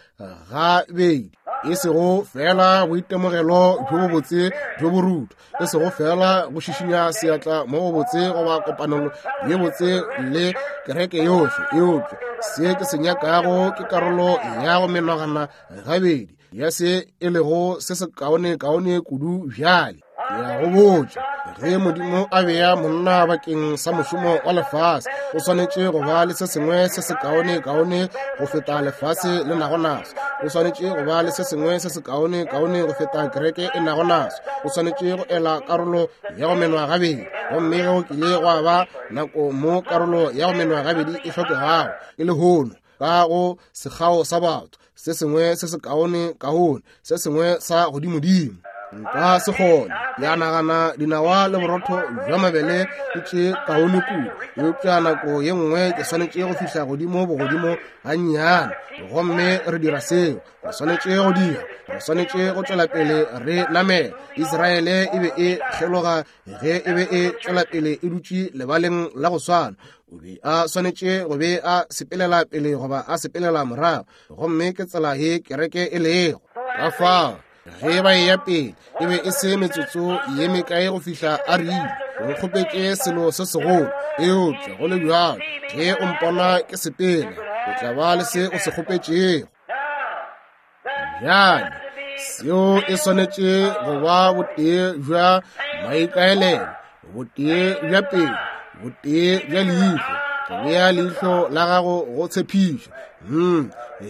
gabedi, e sego fela boitemogelo bjo bobotse bjo borutho, e sego fela go šišinya seatla mo go botse goba kopanelo ye botse le kereke yohle, eupša se ke se nyakago ke karolo ya go menagana gabedi ya se e lego se se kaone-kaone kudu bjale. Ke a go botša, ge Modimo a bea monna bakeng sa mošomo wa lefase, o swanetše go ba le se sengwe se se kaone-kaone go feta lefase le nago naso. O swanetše go ba le se sengwe se se kaone-kaone go feta kereke e nago naso. O swanetše go ela karolo ya go menwa gabedi. Gomme ge go kile gwa ba nako mo karolo ya go menwa gabedi e hlokegago, ke lehono, ka go sekgao sa batho, se sengwe se se kaone kaone, se sengwe sa godimodimo. Nka se kgone. Ya nagana dinawa le borotho bja mabele ke tše kaone kudu, eupša nako ye nngwe ke swanetše go fihla godimo bogodimo gannyane, gomme re dira seo re swanetše go dira. Re swanetše go tšwela pele re namela. Israele e be e kgeloga ge e be e tšwela pele e dutše lebaleng la go swana. O be a swanetše go be a sepelela pele goba a sepelela morago, gomme ke tsela ye kereke e lego. Ka fao ge ba eya pele, e be e se metsotso ye mekae go fihla a rile, o nkgopetše selo se segolo, eupša go le bjalo ge o mpona ke sepela, o tla ba le se o se kgopetšego. Bjale seo e swanetše go ba botee bja maikaelelo, botee bja pelo, botee bja leihlo. Go bea leihlo la gago go tshepišo.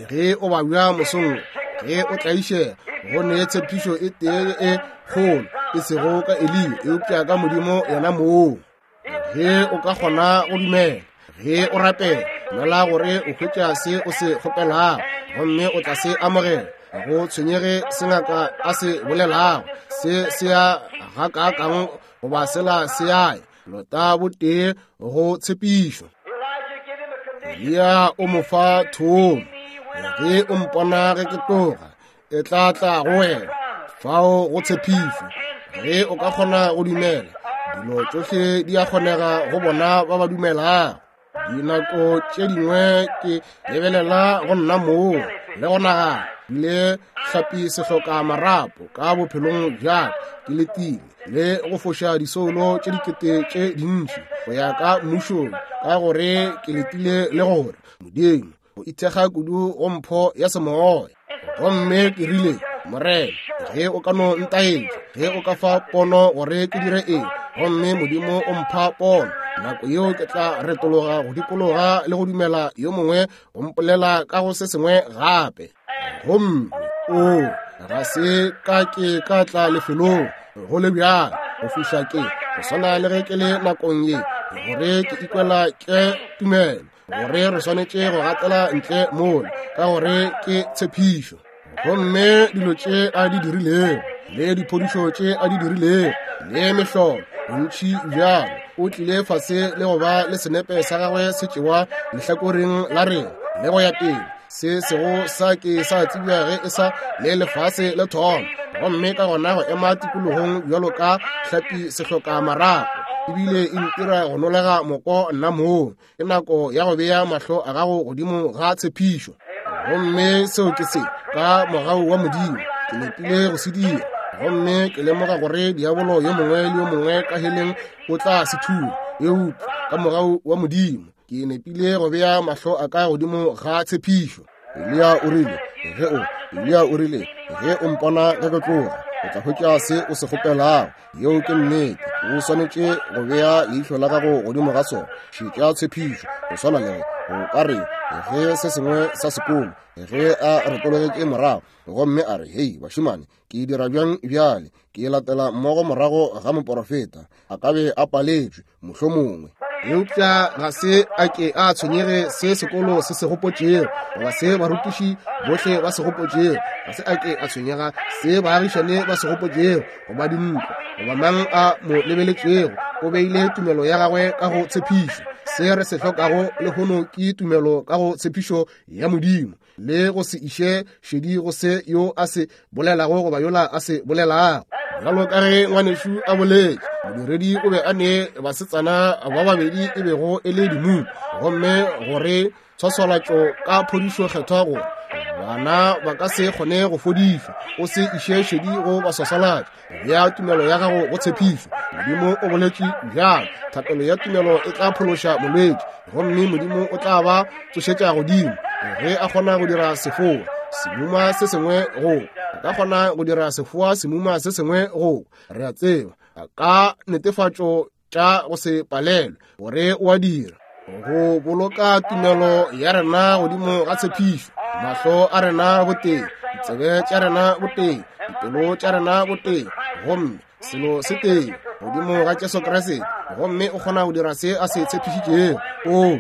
Ge o babja mosong, ge o tlaišega, go ne tshepišo e tee e kgolo, e sego ka Eliya, eupša ka Modimo yena mong. Ge o ka kgona go dumela, ge o rapela, dumela gore o hwetša se o se kgopelago, gomme o tla se amogela. Ga go tshwenyege se ngaka a se bolelago, se se ya gakaakang goba sela se ya, lota botee go tshepišo. Eliya o mo fa thomo. Ge o mpona ge ke tloga, e tla tla go wena. Fao go tshepišo. Ge o ka kgona go dumela, dilo tšohle di a kgonega go bona ba ba dumelago. Dinako tše dingwe ke lebelela go nna moo le go nagana le hlapi sehloka marapo ka bophelong bja ka, ke letile le go foša disoulo tše dikete tše dintši go ya ka mmušong, ka gore ke letile le gore Modimo o ithekga kudu go mpho ya semoya. Gomme ke rile, Morena, ge o ka no ntaetša, ge o ka fa pono gore ke dire eng, gomme Modimo o mpha pono, nako yeo ke tla retologa go dikologa le go dumela yo mongwe go mpolela ka go se sengwe gape. Gomme o ga se ka ke ka tla lefelong go le bjalo go fihla ke go swana le ge ke le nakong ye, gore ke ikwela ke tumelo gore re swanetše go gatela ntle mola, ka gore ke tshepišo. Gomme dilo tše a di dirilego, le diphodišo tše a di dirilego, le mehlolo bontši bjalo, o tlile fase le go ba le senepe sa gagwe se tšewa lehlakoreng la rena le go ya pele, se sego sa ke sa tsebja ge e sa le lefase le thoma. Gomme ka gona go ema tikologong bjalo ka hlapi sehloka marapo, ebile e ntira go nolega moko nna moo. Ke nako ya go bea mahlo a gago godimo ga tshepišo. Gomme seo ke se, ka mogau wa Modimo, ke nepile go se dira. Gomme ke lemoga gore diabolo yo mongwe le yo mongwe ka heleng o tla se thula, eupša ka mogau wa Modimo ke nepile go bea mahlo a ka godimo ga tshepišo. Eliya o rile, ge o, Eliya o rile, ge o mpona ge ke tloga, O tla hwetša se o se kgopelago. Yeo ke nnete. O swanetše go bea leihlo la gago godimo ga sona. Šetša tshepišo. Go swana le o ka re ge se sengwe sa sekolo, ge a retologetše morago gomme a re, Hei, bašemane, ke dira bjang bjale? Ke latela mmogo morago ga moporofeta. A ka be a paletšwe, mohlomongwe. Eupša ga se a ke a tshwenyege se sekolo se se gopotšego, goba se barutiši bohle ba se gopotšego. Ga se a ke a tshwenyega se baagišane ba se gopotšego, goba dintlo, goba mang a mo lebeletšego. O beile tumelo ya gagwe ka go tshepišo. Se re se hlokago lehono ke tumelo ka go tshepišo ya Modimo, le go se iše šedi go se yo a se bolelago goba yola a se bolelago. Bjalo ka ge ngwanešu a boletše, modiredi o be a ne basetsana ba babedi e bego e le dimumu, gomme gore tshwaswalatšo ka phodišo kgethwa gore bana ba ka se kgone go fodišwa. O se iše šedi go baswaswalatši, bea tumelo ya gago go tshepišo. Modimo o boletše bjalo, thapelo ya tumelo e tla phološa molwetši, gomme Modimo o tla ba tsošetša godimo. Ge a kgona go dira sefoa semuma se sengwe go, a ka kgona go dira sefoa semuma se sengwe go. Re a tseba ka netefatšo tša go se palelwe gore o a dira. Go boloka tumelo ya rena godimo ga tshepišo, mahlo a rena botee, ditsebe tša rena botee, dipelo tša rena botee, gomme selo se tee godimo ga Jesu Kriste, gomme o kgona go dira se a se tshepišitšego. O,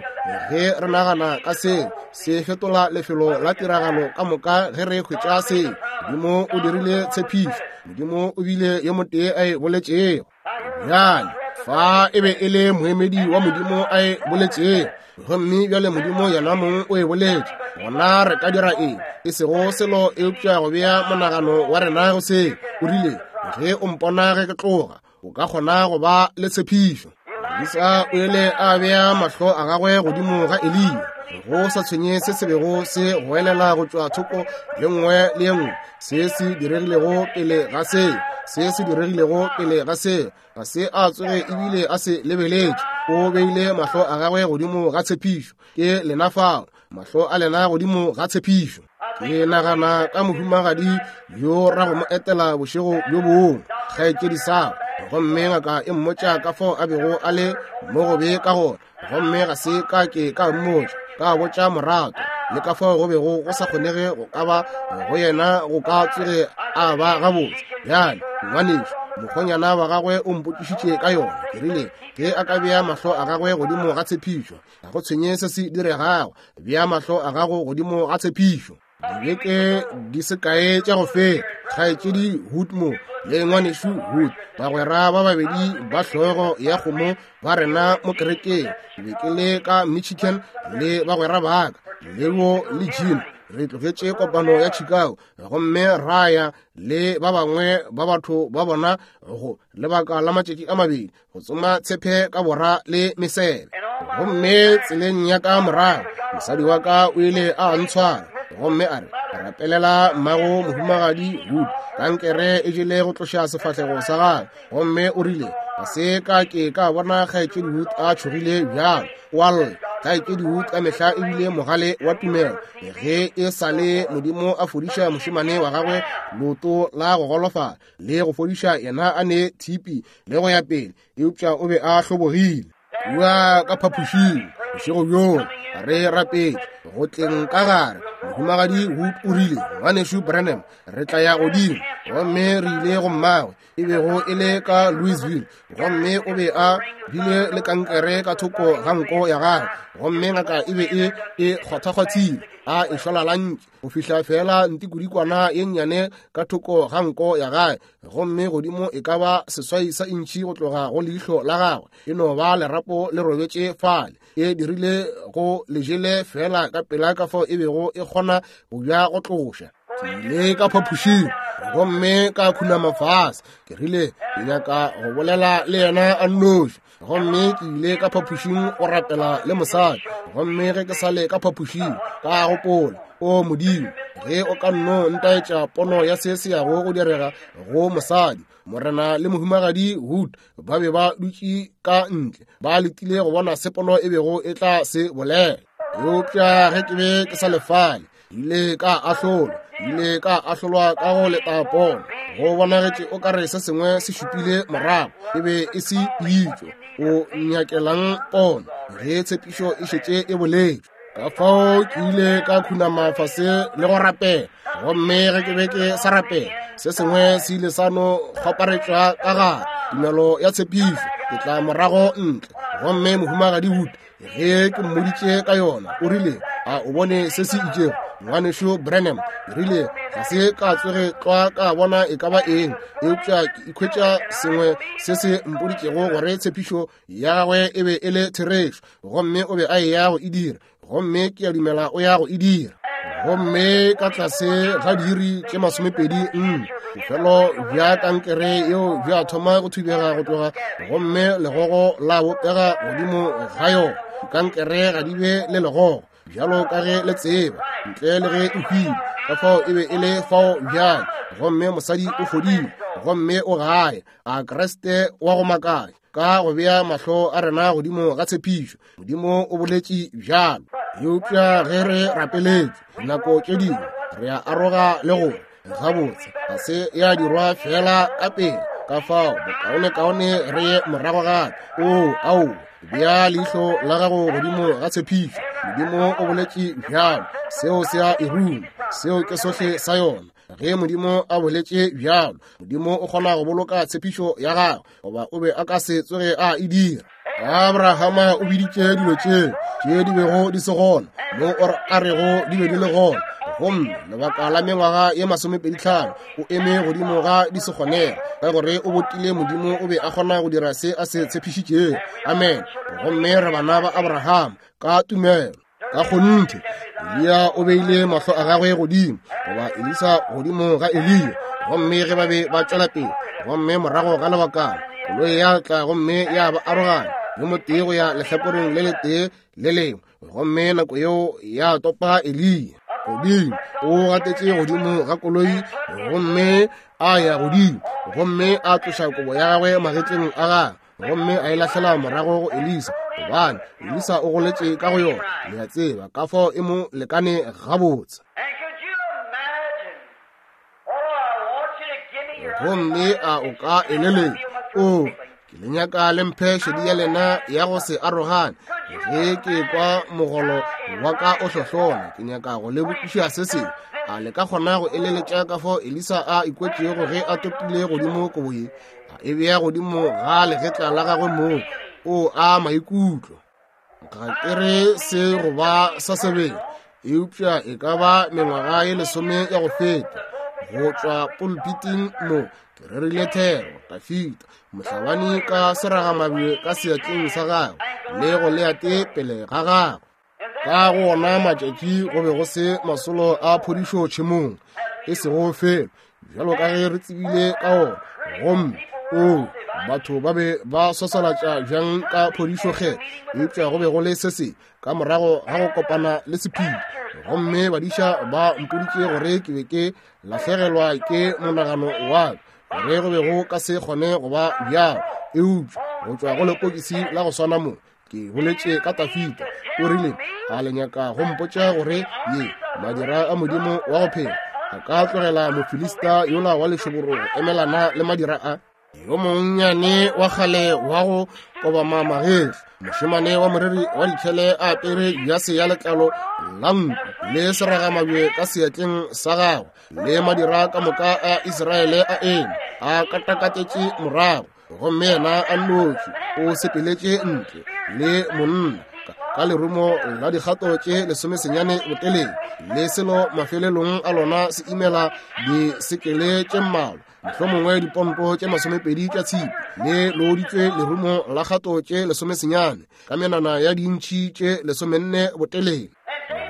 ge re nagana ka se, se fetola lefelo la tiragalo ka moka ge re hwetša se. Modimo o dirile tshepišo, Modimo o bile yo motee a e boletšego. Bjale, fa e be e le moemedi wa Modimo a e boletšego, gomme bjale Modimo yena mong o e boletše, gona re ka dira eng? E sego selo eupša go bea monagano wa rena go se. O rile, ge o mpona ge ke tloga, o ka kgona go ba le tshepišo. Elisa o ile a bea mahlo a gagwe godimo ga Eliya, go sa tshwenye se se bego se goelela go tšwa thoko ye nngwe le ye nngwe, se se diregilego pele ga se, se se diregilego pele ga se, ga se a tsoge ebile a se lebeletše. O beile mahlo a gagwe godimo ga tshepišo. Ke lena fao, mahlo a lena godimo ga tshepišo. Ke nagana ka mohumagadi yo ra go mo etela bošego bjo bongwe, kgaetšedi Sara, gomme ngaka e mmotša ka fao a bego a le mo gobe ka gona, gomme ga se ka ke ka mmotša, ka botša morato, le ka fao go bego go sa kgonege go ka ba go yena go ka tsoge a ba gabotse. Bjale, ngwanešu, mokgonyana wa gagwe o mpotšišitše ka yona. Ke rile, ge a ka bea mahlo a gagwe godimo ga tshepišo, ga go tshwenye se se diregago, bea mahlo a gago godimo ga tshepišo. Dibeke di se kae tša go feta, kgaetšedi Hood mo le ngwanešu Hood, bagwera ba babedi ba hlogo ya kgomo ba rena mo kerekeng, ke be ke le ka Michigan le bagwera ba ka, Leo le Jim. Re tlogetše kopano ya Chicago gomme ra ya le ba bangwe ba batho ba bona go lebaka la matšatši a mabedi go tsoma tshepe ka bora le mesebe. Gomme tseleng ya ka morago, mosadi wa ka o ile a ntshwara gomme a re, rapelela mmago mohumagadi Wood, kankere e jele go tloša sefahlego sa gagwe. Gomme o rile, ga se ka ke ka bona kgaetšedi Wood a tšhogile bjalo. O a lla. Kgaetšedi Wood ka mehla e bile mogale wa tumelo. Ge e sa le Modimo a fodiša mošemane wa gagwe leoto la go golofala, le go fodiša yena a ne thipi le go ya pele, eupša o be a hlobogile. Kua ka phapošing bošego bjoo re rapetše go tleng ka gare, mohumagadi Wood o rile, Ngwanešu Branham, re tla ya godimo. Gomme re ile go mmagwe, e bego e le ka Louisville, gomme o be a bile le kankere ka thoko ga nko ya gagwe, gomme ngaka e be e e kgwathakgwathile, a e šwalalantše go fihla feela ntikodikwana ye nnyane ka thoko ga nko ya gagwe, gomme godimo e ka ba seswai sa intšhi go tloga go leihlo la gagwe, e no ba lerapo le robetše fale, e dirile go lejele feela ka pela ka fao e bego e kgona go bja go tloša. Ke ile ka phapošing gomme ka khunama fase, ke rile ke nyaka go bolela le yena a nnoši. Gomme ke ile ka phapošing go rapela le mosadi, gomme ge ke sa le ka phapošing ka gopola, O Modimo, ge o ka nno ntaetša pono ya se se yago go direga go mosadi. Morena le mohumagadi Wood ba be ba dutše ka ntle ba letile go bona se pono e bego e tla se bolela. Eupša ge ke be ke sa lefale, ile ka ahlolwa, ile ka ahlolwa ka go leta pono. Go bonagetše o ka re se sengwe se šupile morago. E be e se pitšo. O nyakelang pono ge tshepišo e šetše e boletšwe? Ka fao ke ile ka khunama fase le go rapela. Gomme ge ke be ke sa rapela, se sengwe se ile sa no kgwaparetšwa ka gare, tumelo ya tshepišo. Ke tla morago ntle. Gomme Mohumagadi Wood, ge ke mmoditše ka yona, o rile, a o bone se se itšego, Ngwanešu Branham? Ke rile, ga se ka tsoge tlwa ka bona e ka ba eng, eupša ke ikhwetša sengwe se se mpoditšego gore tshepišo ya gagwe e be e le therešo, gomme o be a eya go e dira, gomme ke a dumela o ya go e dira. Gomme ka tlase ga diiri tše 24, bofelo bja kankere yeo bja thoma go thubega go tloga, gomme legogo la bopega godimo ga yona. Dikankere ga di be le legogo, bjalo ka ge le tseba, ntle le ge e hwile. Ka fao e be e le fao bjale, gomme mosadi o fodile, gomme o gae. A Kriste wa go makatša, ka go bea mahlo a rena godimo ga tshepišo. Modimo o boletše bjalo. Eupša ge re rapeletše, dinako tše dingwe re a aroga le gore gabotse ga se ya dirwa fela ka pele. Ka fao bokaonekaone re ye morago gape. Oo, ao, bea leihlo la gago godimo ga tshepišo. Modimo o boletše bjalo, seo se a e ruma. Seo ke sohle sa yona. Ge Modimo a boletše bjalo, Modimo o kgona go boloka tshepišo ya gagwe, goba o be a ka se tsoge a e dira. Abrahama o biditše dilo tše tše di bego di se gona, mo o a rego di be di le gona, gomme lebaka la mengwaga ye 25 o eme godimo ga di se kgonega, ka gore o botile Modimo o be a kgona go dira se a se tshepišitšego. Amen. Gomme re bana ba Abrahama ka tumelo. Ka kgonthe, Eliya o beile mahlo a gagwe godimo, goba Elisa godimo ga Eliya, gomme ge ba be ba tšwela pele, gomme morago ga lebakana koloi ya tla gomme ya ba aroganya, yo motee go ya lehlakoreng le letee le lengwe, gomme nako yeo ya topa Eliya godimo. O gatetše godimo ga koloi gomme a ya godimo, gomme a tloša kobo ya gagwe magetleng a gagwe, gomme a e lahlela morago go Elisa, gobane Elisa o goletše ka go yona. Le a tseba ka fao e mo lekane gabotse. Gomme a o ka eleletša? O, ke le nyaka le mphe šedi ya lena ya go se arogane. Ge ke kwa mogolo wa ka o hlohlona, ke nyaka go le botšiša se sengwe. A le ka kgona go eleletša ka fao Elisa a ikwetšego ge a topile godimo kobo ye, a e bea godimo ga legetla la gagwe moo? O a maikutlo. Ga ke re se go ba sa sebele, eupša e ka ba mengwaga ye 10 ya go feta, go tšwa pulpiting mo ke rerile thero, Dafita mohlabani ka seragamabje ka seatleng sa gagwe le Goliate pele ga gagwe. Ka go ona matšatši go be go se masolo a phodišo tšhemong, e sego felo bjalo ka ge re tsebile ka ona. Gomme o, batho ba be ba swaswalatša bjang ka phodišo kgetho, eupša go be go le se se ka morago ga go kopana le sephiri. Gomme badiša ba mpoditše gore ke be ke lahlegelwa ke monagano wa ka, gore go be go ka se kgone go ba bjalo. Eupša go tšwa go lepokisi la go swana mo, ke boletše ka Dafita. O rile, a le nyaka go mpotša gore ye madira a Modimo wa go phela a ka tlogela Mofilista yola wa lešoboro go emelana le madira a? Yo monnyane wa kgale wa go kobama magetla, mošemane wa moreri wa dikhele a apere jase ya letlalo la nku le seragamabje ka seatleng sa gagwe, le madira ka moka a Israele a eme a katakatetše morago, gomme yena a nnoši o sepeletše ntle le monna ka lerumo la dikgato tše 19 botelele, le selo mafelelong a lona se imela disekele tše mmalwa, mohlomongwe diponto tše 20 tša tshipi, le looditšwe lerumo la kgato tše 19 ka menwana ya dintšhi tše 14 botelele.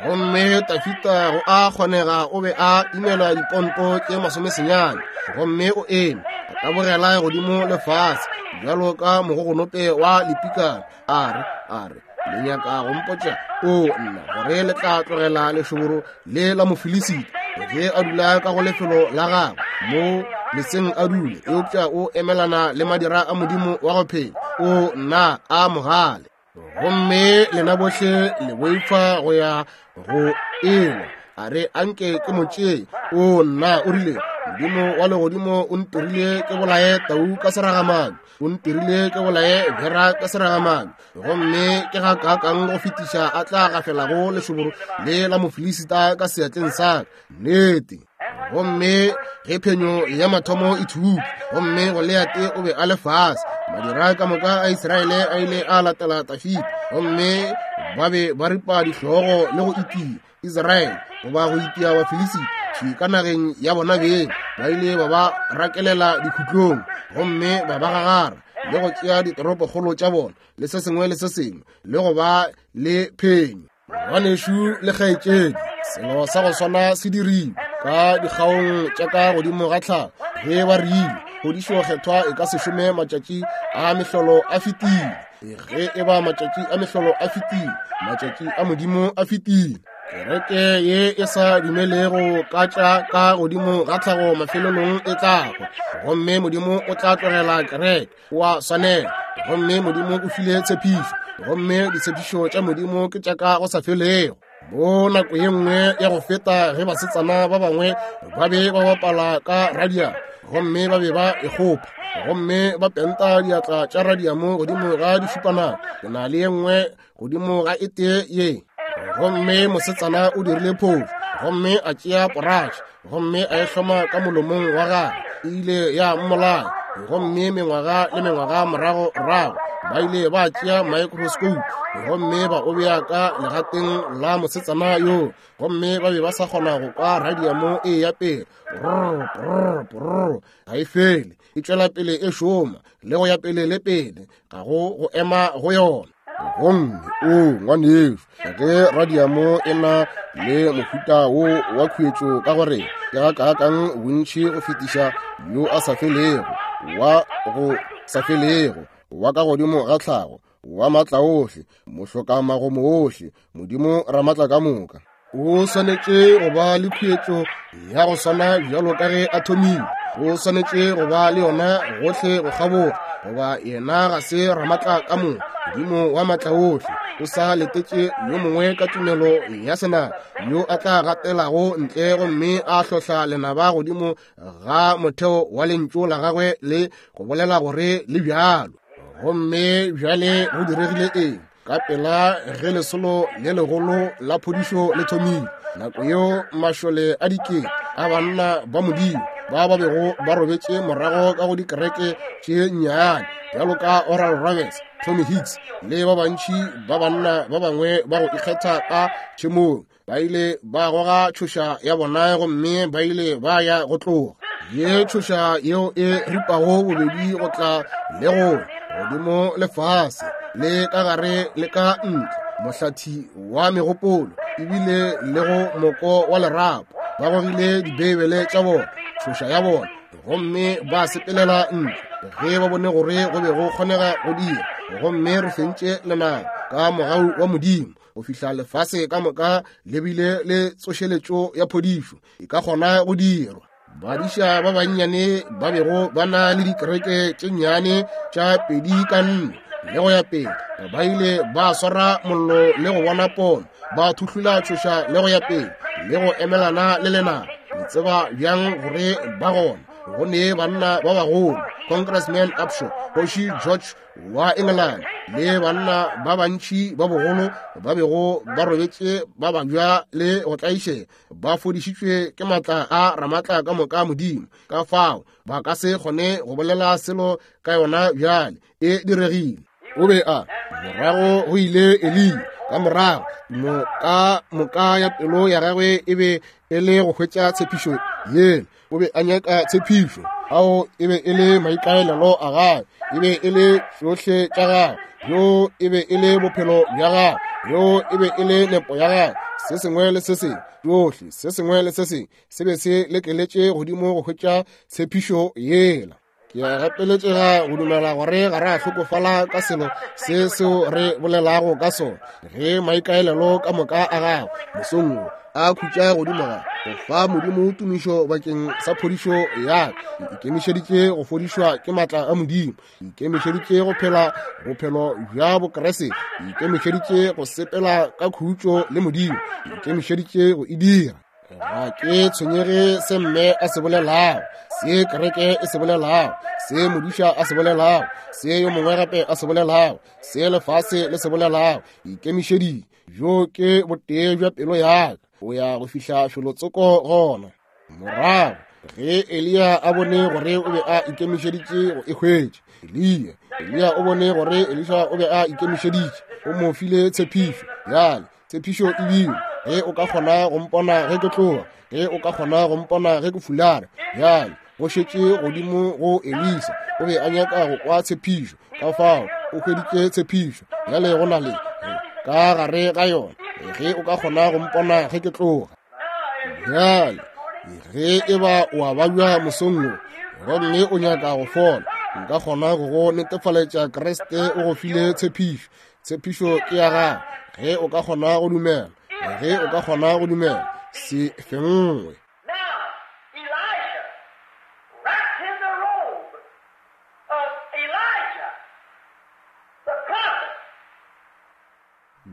Gomme Dafita go a kgonega o be a imela diponto tše 19, gomme o eme a tabogela godimo le fase bjalo ka mogogonope wa lepikana, a re, a re, le nyaka go mpotša, o nna, gore le tla tlogela lešoboro le la Mofilisita ge a dula ka go lefelo la gagwe mo leseng a dule, eupša o emelana le madira a Modimo wa go phela? O nna, a mogale. Gomme lena bohle le boifa go ya go elwa. A re, anke ke mo tšee. O nna, o rile, Modimo wa legodimo o ntirile ke bolaye tau ka seragamane, o ntirile ke bolaye bera ka seragamane, gomme ke ga kaakang go fetiša a tla gafelago lešoboro le la Mofilisita ka seatleng sa ka. Nnete. Gomme ge phenyo ya mathomo e thubutšwe, gomme Goliate o be a le fase, madira ka moka a Israele a ile a latela Dafida, gomme ba be ba ripa dihlogo le go itia Israele goba go itia Bafilisita thwi ka nageng ya bona beng. Ba ile ba ba rakelela dikhutlong gomme ba ba gagara le go tšea ditoropokgolo tša bona le se sengwe le se sengwe le go ba le phenyo. Ngwanešu le kgaetšedi, selo sa go swana se dirilwe ka dikgaong tša ka godimo ga tlhago ge ba rile phodišo kgethwa e ka se šome matšatši a mehlolo a fetile. Ge e ba matšatši a mehlolo a fetile, matšatši a Modimo a fetile. Kereke ye e sa dumelego ka tša ka godimo ga tlhago mafelelong e tla hwa, gomme Modimo o tla tlogela kereke. Wa swanela. Gomme Modimo o file tshepišo, gomme ditshepišo tša Modimo ke tša ka go sa felego. Mo nako ye nngwe ya go feta ge basetsana ba bangwe ba be ba bapala ka radiamo, gomme ba be ba e kgopa, gomme ba penta diatla tša radiamo godimo ga dišupanako. Ke na le ye nngwe godimo ga e tee ye. Gomme mosetsana o dirile phofu, gomme a tšea poratšhe, gomme a e hloma ka molomong wa gagwe, e ile ya mmolaya. Gomme mengwaga le mengwaga morago rago ba ile ba tšea microscope gomme ba o bea ka legateng la mosetsana yo, gomme ba be ba sa kgona go kwa radiamo e ya pele, brr, brr, brr, ga e fele, e tšwela pele e šoma le go ya pele le pele, ga go go ema go yona. Gomme o ngwanešu, ge radiamo e na le mohuta wo wa khuetšo ka gore ke ga kaakang bontši go fetiša yo a sa felego, wa go sa felego, wa ka godimo ga tlhago, wa maatla ohle, mohlokamagomo ohle, Modimo Ramatla ka moka. O swanetše go ba le khuetšo ya go swana bjalo ka ge a thomile. O swanetše go ba le yona gohle go kgaboga, goba yena ga se Ramatla ka moka, Modimo wa maatla ohle. O sa letetše yo mongwe ka tumelo ya senama yo a tla gatelago ntle gomme a hlohla lenaba godimo ga motheo wa lentšu la gagwe le go bolela gore le bjalo. Gomme bjale go diregile eng? Ka pela ge lesolo le legolo la phodišo le thomile, nako yeo mašole a dikete a banna ba Modimo ba ba bego ba robetše morago ka go dikereke tše nnyane bjalo ka Oral Roberts, Tommy Hicks le ba bantši ba banna ba bangwe ba go ikgetha ka tšhemong, ba ile ba goga tšhoša ya bona gomme ba ile ba ya go tloga. Ye tšhoša yeo e ripago bobedi go tla le go godimo le fase le ka gare le ka ntle, mohlathi wa megopolo ebile le go moko wa lerapo. Ba gogile Dibeibele tša bona, tšhoša ya bona, gomme ba sepelela ntle ge ba bone gore go be go kgonega go dira. Gomme re fentše lenaba ka mogau wa Modimo go fihla lefase ka moka le bile le tsošeletšo ya phodišo e ka kgona go dirwa. Badiša ba bannyane ba bego ba na le dikereke tše nnyane tša 2 ka 4 le go ya pele, ba ile ba swara mollo le go bona pono, ba thuhlula tšhoša le go ya pele le go emelana le lenaba. Le tseba bjang gore ba gona? Go ne banna ba bagolo, Congressman Upshaw, Kgoši George wa England, le banna ba bantši ba bogolo ba bego ba robetše ba babja le go tlaišega, ba fodišitšwe ke matla a Ramatla ka moka Modimo. Ka fao ba ka se kgone go bolela selo ka yona bjale, e diregile. O be a morago go ile Eliya ka morago, moka moka ya pelo ya gagwe e be e le go hwetša tshepišo yela. O be a nyaka tshepišo, ao e be e le maikaelelo a gagwe, e be e le tšohle tša gagwe, yo e be e le bophelo bja gagwe, yo e be e le nepo ya gagwe. Se sengwe le se sengwe, tšohle, se sengwe le se sengwe se be se lekeletše godimo go hwetša tshepišo yela. Ke a gapeletšega go dumela gore ga re a hlokofala ka selo se seo re bolelago ka sona, ge maikaelelo ka moka a gago mosong wo a khutša godimo ga go fa Modimo tumišo bakeng sa phodišo ya ka. Ke ikemišeditše go fodišwa ke matla a Modimo. Ke ikemišeditše go phela bophelo bja Bokriste. Ke ikemišeditše go sepela ka khutšo le Modimo. Ke ikemišeditše go e dira. Ga ke tshwenyege se mme a se bolelago, se kereke e se bolelago, se modiša a se bolelago, se yo mongwe gape a se bolelago, se lefase le se bolelago. Ikemišeditše. Bjo ke botee bja pelo ya ka. O ya go fihla felotsoko gona. Morago ge Eliya a bone gore o be a ikemišeditše go e hwetša, Eliya, Eliya o bone gore Elisha o be a ikemišeditše, o mo file tshepišo. Bjale tshepišo e bile, ge o ka kgona go mpona ge ke tloga, ge o ka kgona go mpona ge ke fulara. Bjale go šetše godimo go Elisa, o be a nyaka go kwa tshepišo, ka fao o hweditše tshepišo. Bjale go na le ka gare ga yona, ge o ka kgona go mpona ge ke tloga. Bjale ge e ba o a babja mosong wo gomme o nyaka go fola, nka kgona go go netefaletša Kriste o go file tshepišo. Tshepišo ke ya gago ge o ka kgona go dumela, ge o ka kgona go dumela, se fenngwe. Now, Elisha, wrapped in the robe of Elijah, the prophet.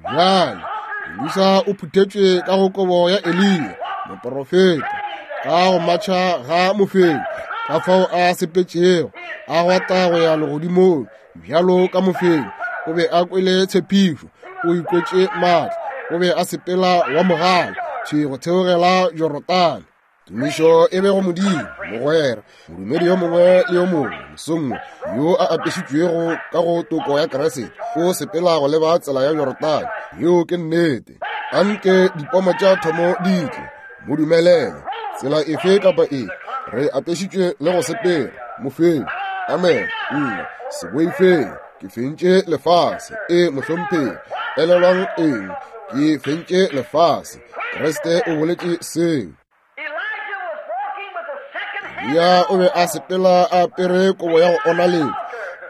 Bjale Elisa o phuthetšwe ka go kobo ya Eliya moporofeta, ka go matšha ga mofenyi, ka fao a sepetšego a gwata go ya legodimong bjalo ka mofenyi. O be a kwele tshepišo, o ikwetše maatla, o be a sepela wa mogala thwi go theogela Jorodane. Tumišo e be go Modimo, mogwera, modumedi yo mongwe le yo mongwe mosong wo yo a apešitšwego ka go toko ya Kriste, o sepela go leba tsela ya Jorodane. Yeo ke nnete. Anke dipomo tša thomo di tle, mo dumelele, tsela efe kapa efe, re apešitšwe le go sepela, mofenyi. Amen. Nna, se boifeng, ke fentše lefase. E, mohlomphegi, elelwang eng? Ke fentše lefase. Kriste o boletše seo. Elijah was walking with the second hand. Eliya o be a sepela a apere kobo ya go onaletša,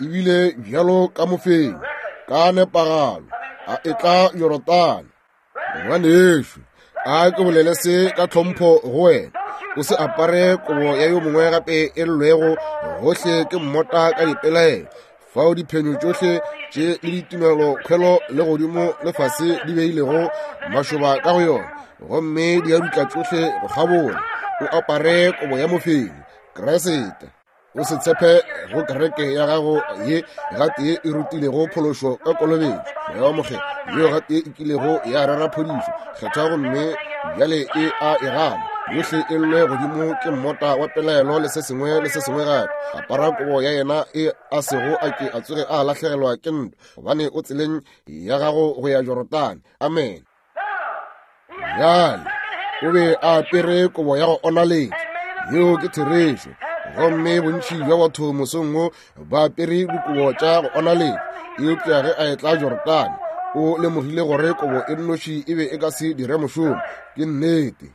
ebile bjalo ka mofenyi, ka nepagalo, a etla Jorodane. Ngwanešu, a ke bolele se ka tlhompho go wena. O se apare kobo ya yo mongwe gape e llwego gohle ke mmota ka dipelaelo, fao diphenyo tšohle tše le ditumelo kgwelo le godimo le fase di beilego mašoba ka go yona, gomme di a dutla tšohle go kgabola. O apare kobo ya mofenyi, Kriste. O se tshepe go kereke ya gago ye gatee e rutilego phološo ka kolobetšo, Moya wa Mokgethwa, yeo gatee e kilego ya rera phodišo kgethwa, gomme bjale e a e gana. Yohle e llwe godimo ke mmota wa pelaelo le se sengwe le se sengwe gape. Apara kobo ya yena e a sego a ke a tsoge a lahlegelwa ke ntwa, gobane o tseleng ya gago go ya Jorodane. Amen. Bjale o be a apere kobo ya go onaletša, yeo ke therešo. Gomme bontši bja batho mosong wo ba apere dikobo tša go onaletša, eupša ge a etla Jorodane o lemogile gore kobo e nnoši e be e ka se dire mošomo. Ke nnete.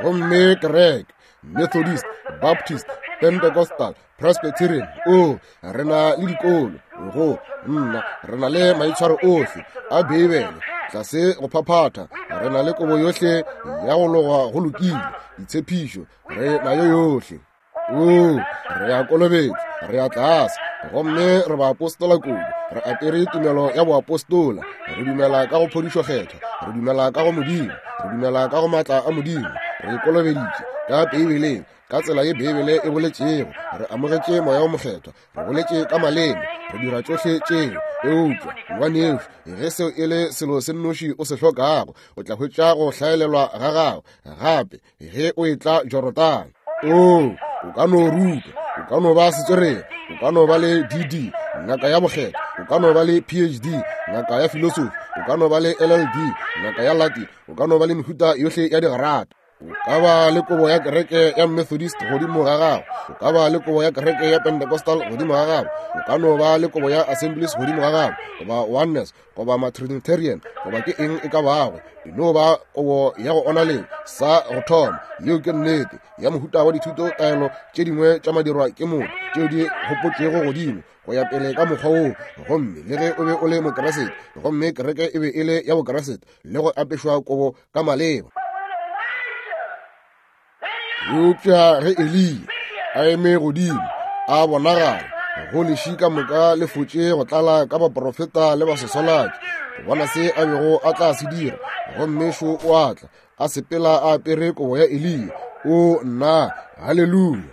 Gomme kereke, Methodist, Baptist, Pentecostal, Presbyterian, o re na le dikolo, go nna re na le maitshwaro ohle a Beibele tlase go phaphatha, re na le kobo yohle ya go logwa go lokile, ditshepišo re nayo yohle. O, re a kolobetšwa, re a tlase, gomme re baapostola kudu, re apere tumelo ya boapostola, re dumela ka go phodišo kgethwa, re dumela ka go Modimo, re dumela ka go maatla a Modimo, re kolobeditše ka Beibeleng, ka tsela ye Beibele e boletšego, re amogetše Moya wo Mokgethwa, re boletše ka maleme, re dira tšohle tšeo. Eupša, ngwanešu, ge seo e le selo se nnoši o se hlokago, o tla hwetša go hlaelelwa ga gago gape ge o etla Jorodane. O, o ka no ruta, o ka no ba setswerere, o ka no ba le DD, ngaka ya bokgethwa, o ka no ba le PhD, ngaka ya filosofi, o ka no ba le LLD, ngaka ya Latin, o ka no ba le mehuta yohle ya digrata. O ka ba le kobo ya kereke ya Methodist godimo ga gago, o ka ba le kobo ya kereke ya Pentecostal godimo ga gago, o ka no ba le kobo ya Assemblies godimo ga gago, goba Oneness, goba Matrinitarian, goba ke eng e ka bago. E no ba kobo ya go onaleng sa go thoma. Yeo ke nnete ya mohuta wa dithuto taelo tše dingwe tša madirwa ke motho tšeo di gopotšwego godimo go ya pele ka mokgwa woo. Gomme le ge o be o le Mokeresete, gomme kereke e be e le ya Bokeresete le go apešwa kobo ka maleba. Eupša ge Eliya a eme godimo a bonagala go leši ka moka le fotše go tlala ka baprofeta le basoswalatši, go bona se a bego a tla se dira. Gomme šo o a tla, a sepela a apere kobo ya Eliya. O nna, haleluya!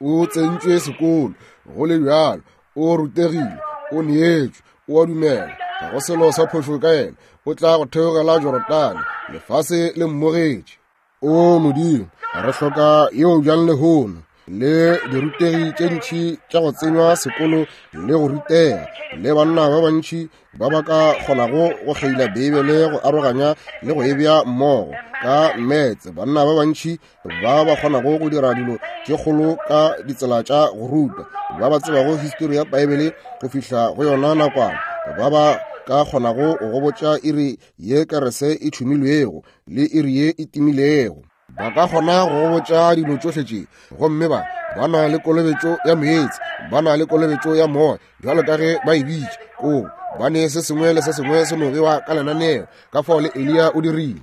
O tsentšwe sekolo, go le bjalo, o rutegile, o neetšwe, o a dumela, ga go selo sa phošo ka yena, o tla go theogela Jorodane, lefase le mmogetše. O Modimo, re hloka yeo bjang lehono, le dirutegi tše ntši tša go tsenywa sekolo le go rutega, le banna ba bantši ba ba ka kgonago go kgeila Beibele go aroganya le go e bea mmogo ka mmetse, banna ba bantši ba ba kgonago go dira dilo tše kgolo ka ditsela tša go ruta, ba ba tsebago histori ya Beibele go fihla go yona nakwana, ba ba ka kgonago go botša iri ye kerese e tšhumilwego le iri ye e timilego. Ba ka kgona go botša dilo tšohle tše, gomme ba ba na le kolobetšo ya meetse, ba na le kolobetšo ya moya, bjalo ka ge ba e bitša koo, ba ne se sengwe le se sengwe se no bewa ka lenaneo, ka fao le Eliya o dirile.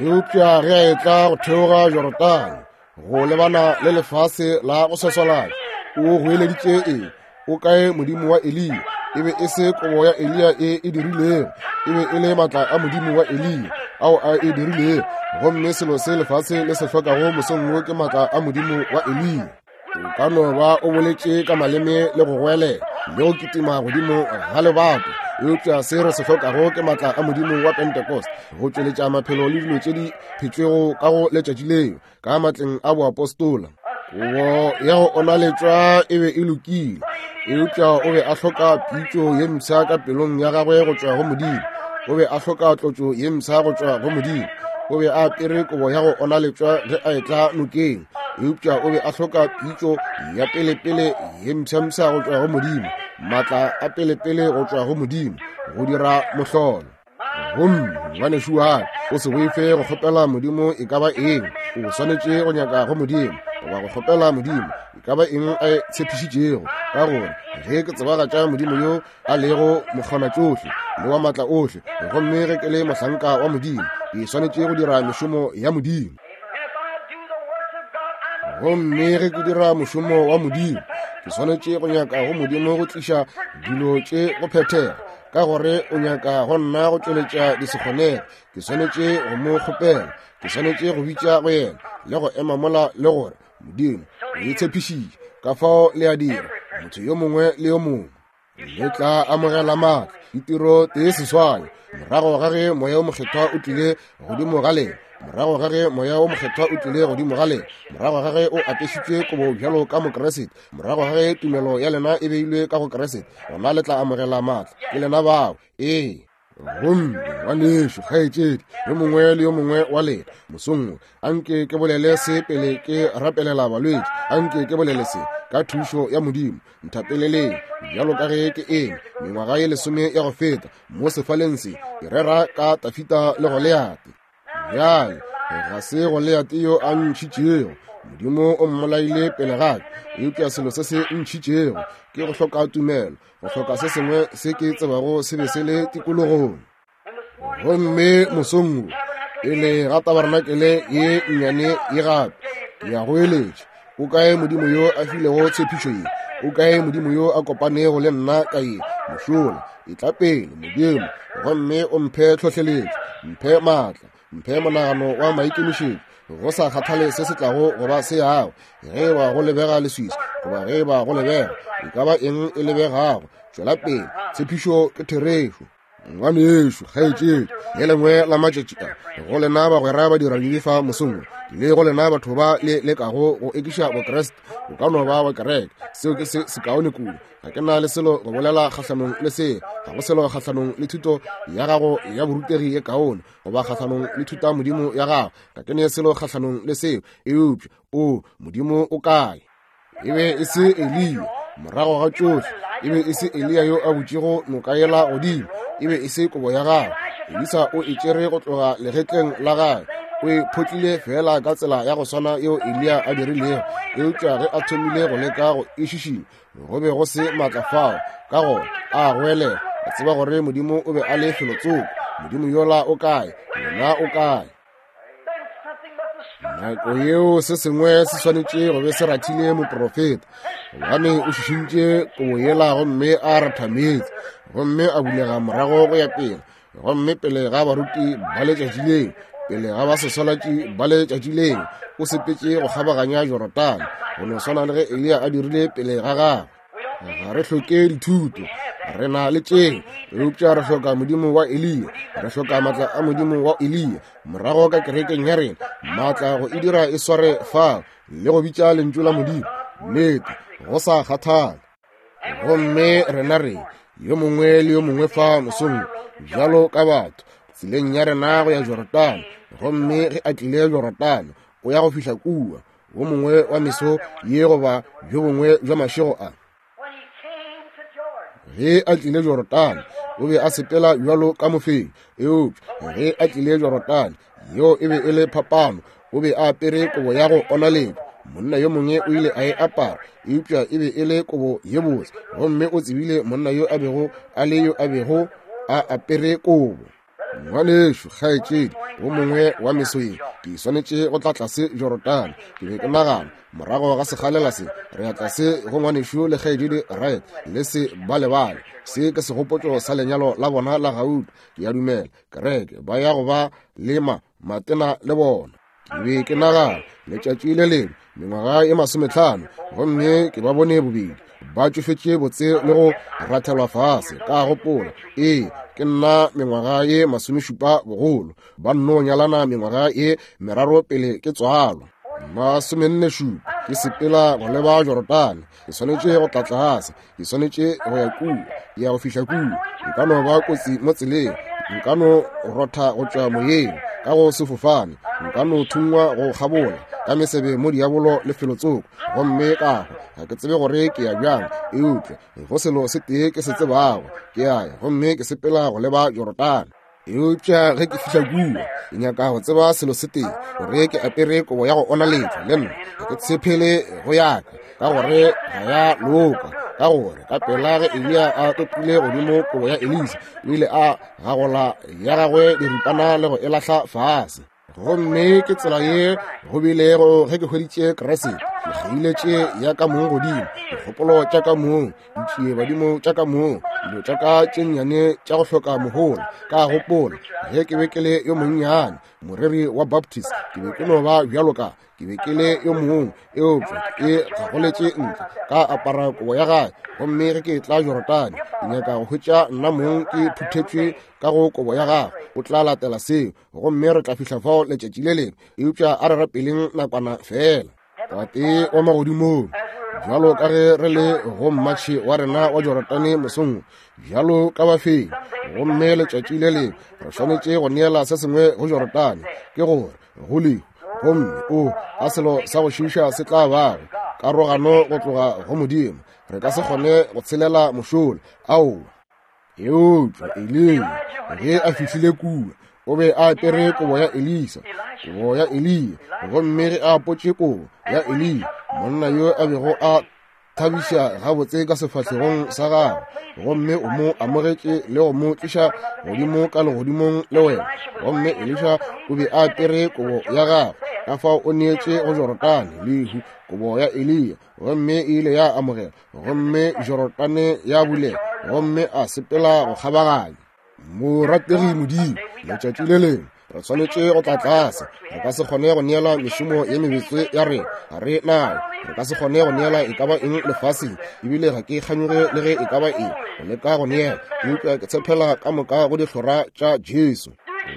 Eupša ge a etla go theoga Jorodane go lebana le lefase la go swaswalatša, o goeleditše eng? O kae Modimo wa Eliya? E be e se kobo ya Eliya e e dirilego, e be e le matla a Modimo wa Eliya ao a e dirilego. Gomme selo se lefase le se hlokago mosong wo ke matla a Modimo wa Eliya. O ka no ba o boletše ka maleme le go goelela le go kitima godimo ga lebato, eupša se re se hlokago ke matla a Modimo wa Pentecost go tšweletša maphelo le dilo tše di phetšwego ka go letšatši leo ka matleng a boapostola. Kobo ya go onaletšwa e be e lokile, eupša o be a hloka pitšo ye mpsha ka pelong ya gagwe go tšwa go Modimo. O be a hloka tlotšo ye mpsha go tšwa go Modimo. O be a apere kobo ya go onaletšwa ge a etla nokeng, eupša o be a hloka pitšo ya pelepele ye mpshampsha go tšwa go Modimo, maatla a pelepele go tšwa go Modimo go dira mohlolo. Gomme ngwanešu wa ka, o se boife go kgopela Modimo e ka ba eng. O swanetše go nyaka go Modimo goba go kgopela Modimo e ka ba eng a e tshepišitšego, ka gore ge ke tsebagatša Modimo yo a lego mokgonatšohle le wa maatla ohle, gomme ge ke le mohlanka wa Modimo, ke swanetše go dira mešomo ya Modimo. Gomme ge ke dira mošomo wa Modimo, ke swanetše go nyaka go Modimo go tliša dilo tše go phethega, ka gore o nyaka go nna go tšweletša disekgonege. Ke swanetše go mo kgopela, ke swanetše go bitša go yena le go ema mola le gore, Modimo, o e tshepišitše, ka fao le a dira, motho yo mongwe le yo mongwe. Le tla amogela maatla, ditiro tee seswai, morago ga ge Moya wo Mokgethwa o tlile godimo ga lena, morago ga ge Moya wo Mokgethwa o tlile godimo ga lena, morago ga ge o apešitšwe kobo bjalo ka Mokriste, morago ga ge tumelo ya lena e beilwe ka go Kriste, gona le tla amogela maatla. Ke lena bao. Ee. Gomme ngwanešu, kgaetšedi, yo mongwe le yo mongwe wa lena mosong wo, anke ke bolele se pele ke rapelela balwetši, anke ke bolele se ka thušo ya Modimo. Nthapeleleng bjalo ka ge ke eme mengwaga ye lesome ya go feta mo sefaleng se, ke rera ka Tafita le Goliate. Bjale ga se Goliate yo a ntšhitšego, Modimo o mmolaile pele ga ka, eupša selo se se ntšhitšego ke go hloka tumelo, go hloka se sengwe se ke tsebago se be se le tikologong. Gomme mosong wo, pele ga tabarenakele ye nnyane ye gape, ke ya go eletša, o kae Modimo yo a filego tshepišo ye? O kae Modimo yo a kopanego le nna ka ye mošola? Etla pele, Modimo, gomme o mphe tlhohleletšo, mphe maatla, mphe monagano wa maikemišetšo, go sa kgathale se se tlago go ba se yago, ge e ba go lebega leswiswi goba ge e ba go lebega e ka ba eng e lebegago, tšwela pele, tshepišo ke therešo. Ngwanešu, kgaetšedi, le lengwe la matšatši a, go lena bagwera ba dira dibe fa mosong wo, le go lena batho ba le lekago go ekiša Bokriste, o ka no ba wa kereke, seo ke se sekaone kudu. Ga ke na le selo go bolela kgahlanong le se, ga go selo kgahlanong le thuto ya gago ya borutegi ye kaone, goba kgahlanong le thuta modimo ya gago, ga ke ne selo kgahlanong le seo, eupša o Modimo o kae? E be e se Eliya, morago ga tšohle, e be e se Eliya yo a butšego noka yela godimo, e be e se kobo ya gagwe. Elisa o e tšere go tloga legetleng la gagwe, o e photlile feela ka tsela ya go swana yeo Eliya a dirilego, eupša ge a thomile go leka go e šišinya, go be go se maatla fao, ka gona a goelela, a tseba gore Modimo o be a le felotsoko. Modimo yola o kae? Yena o kae? Nako yeo se sengwe se swanetše go be se rathile moprofeta, gobane o šišintše kobo yela gomme a ratha meetse, gomme a bulega morago go ya pele, gomme pele ga baruti ba letšatši leo, pele ga ba seswalatši ba letšatši leo, o sepetše go kgabaganya Jorodane, go no swana le ge Eliya a dirile pele ga gagwe. Ga re hloke dithuto, re na le tšeo, eupša re hloka Modimo wa Eliya, re hloka maatla a Modimo wa Eliya morago ka kerekeng ya rena, maatla go e dira e sware fao le go bitša lentšu la Modimo nnete, go sa kgathale. Gomme rena re yo mongwe le yo mongwe fa mosong bjalo ka batho tseleng ya rena go ya Jorodane, gomme ge a tlile Jorodane o ya go fihla kua wo mongwe wa meso ye goba bjo bongwe bja mašego a. Ge a tlile Jorodane o be a sepela bjalo ka mofenyi, eupša ge a tlile Jorodane yeo e be e le phapano. O be a apere kobo ya go onaletšwa, monna yo mongwe o ile a e apara, eupša e be e le kobo ye botse, gomme o tsebile monna yo a bego a le yo a bego a apere kobo. Ngwanešu, kgaetšedi, wo mongwe wa meso ye ke swanetše go tla tlase Jorodane. Ke be ke nagana morago ga sekgalela se, re ya tlase go ngwanešu le kgaetšedi Wright, le se ba lebale se ke segopotšo sa lenyalo la bona la gauta. Ke a dumela kereke ba ya go ba lema matena le bona. Ke be ke nagana letšatši le lengwe mengwaga ye 50, gomme ke ba bone bobedi ba tšofetše botse le go rathelwa fase. Ka gopola, ee, ke nna mengwaga ye 70 bogolo, ba nno nyalana mengwaga ye 3 pele ke tswalwa. 47, ke sepela go leba Jorodane, ke swanetše go tla tlase, ke swanetše go ya kua, ke ya go fihla kua. Nka no ba kotsi mo tseleng, nka no rotha go tšwa moyeng ka go sefofane, nka no thungwa go kgabola ka mesebe mo diabolo le felotsoko, gomme ka hwa. Ga ke tsebe gore ke ya bjang, eupša go selo se tee ke se tsebago, ke a ya gomme ke sepela go leba Jorodane. Eupša ge ke fihla kua, ke nyaka go tseba selo se tee, gore ke apere kobo ya go onaletšwa le nna. Ga ke tshepele go yaka, ka gore ga ya loka, ka gore ka pela ge Eliya a topile godimo kobo ya Elisa, o ile a gagola ya gagwe diripana le go e lahla fase. Gomme ke tsela ye go bilego ge ke hweditše Kriste. Ke kgeiletše ya ka mong godimo, dikgopolo tša ka mong, ditšie badimo tša ka mong, dilo tša ka tše nnyane tša go hloka mohola. Ka gopola ge ke be ke le yo monnyane, moreri wa Baptist, ke be ke no ba bjalo ka ke be ke le yo mongwe, eupša ke gagoletše ntle ka apara kobo ya gae. Gomme ge ke tla Jorodane, ke nyaka go hwetša nna mong ke phuthetšwe ka go kobo ya gagwe. O tla latela seo, gomme re tla fihla fao letšatši le lengwe. Eupša a re rapeleng nakwana fela. Tate wa magodimong, bjalo ka ge re le go mmatšhe wa rena wa Jorodane mosong, bjalo ka bafenyi, gomme letšatši le lengwe re swanetše go neela se sengwe go Jorodane, ke gore go lehu, gomme o a selo sa go šiiša se tla bago karogano go tloga go Modimo. Re ka se kgone go tshelela mošola. Aowa. Eupša Eliya ge a fihlile kua, o be a apere kobo ya Elisa, kobo ya Eliya. Gomme ge a apotše kobo ya Eliya, monna yo a bego a thabiša gabotse ka sefahlegong sa gagwe, gomme o mo amogetše le go mo tliša godimo ka legodimong le wena. Gomme Elisha o be a apere kobo ya gagwe, ka fao o neetše go Jorodane lehu kobo ya Eliya, gomme e ile ya amogela, gomme Jorodane ya bulega, gomme a sepela go kgabaganya. Morategi Modimo, letšatši le lengwe re swanetše go tla tlase. Re ka se kgone go neela mešomo ye mebetse ya rena, ga re nayo. Re ka se kgone go neela e ka ba eng lefaseng, ebile ga ke kganyoge le ge e ka ba eng go leka go neela, eupša ke tshepela ka moka go dihlora tša Jesu.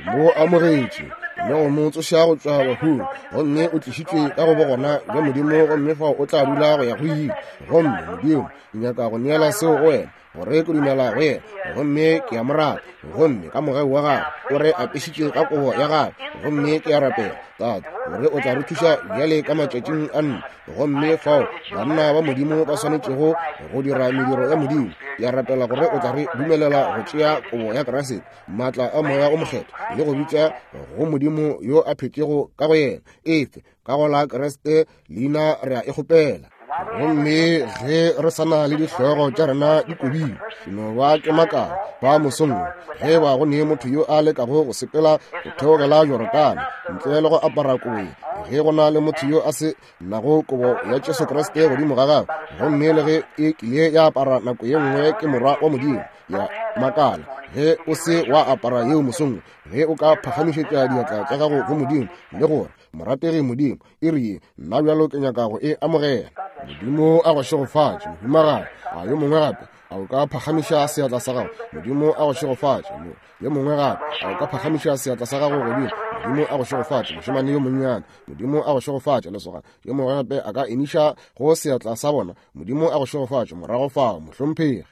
Mo amogetše le go mo tsoša go tšwa bahung, gomme o tlišitšwe ka go bogona bja Modimo, gomme fao o tla dula go ya go ile. Gomme Modimo, ke nyaka go neela seo go wena, gore ke dumela go yena, gomme ke a mo rata, gomme ka mogau wa gagwe o re apešitše ka kobo ya gagwe. Gomme ke a rapela, Tate, gore o tla re thuša bjale ka matšatšing a nne, gomme fao banna ba Modimo ba swanetšego go dira mediro ya Modimo. Ke a rapela gore o tla re dumelela go tšea kobo ya Kriste, maatla a Moya o Mokgethwa, le go bitša go Modimo yo a phetšego ka go yena. Efe ka go la Kriste leina re a e kgopela. Gomme ge re sa na le dihlogo tša rena di kobile, ke no ba ke makala ba mosong ge ba go ne motho yo a lekago go sepela go theogela Jorodane ntle le go apara kobo, Ge go na le motho yo a se nago kobo ya Jesu Kriste godimo ga gagwe, gomme le ge e kile ya apara nako ye nngwe ke Morwa wa Modimo, ya makala ge o se wa apara yeo mosong, ge o ka phagamišetša diatla tša gago go Modimo le gore, Morategi Modimo, e re ye, nna bjalo ke nyaka go e amogela. Modimo a go šegofatše, mohumagadi. A yo mongwe gape, a o ka phagamiša seatla sa gago? Modimo a go šegofatše. Yo mongwe gape, a o ka phagamiša seatla sa gago godimo? Modimo a go šegofatše, mošemane yo monnyane. Modimo a go šegofatše, lesogana. Yo mongwe gape a ka emiša go seatla sa bona. Modimo a go šegofatše, morago fao, mohlomphegi.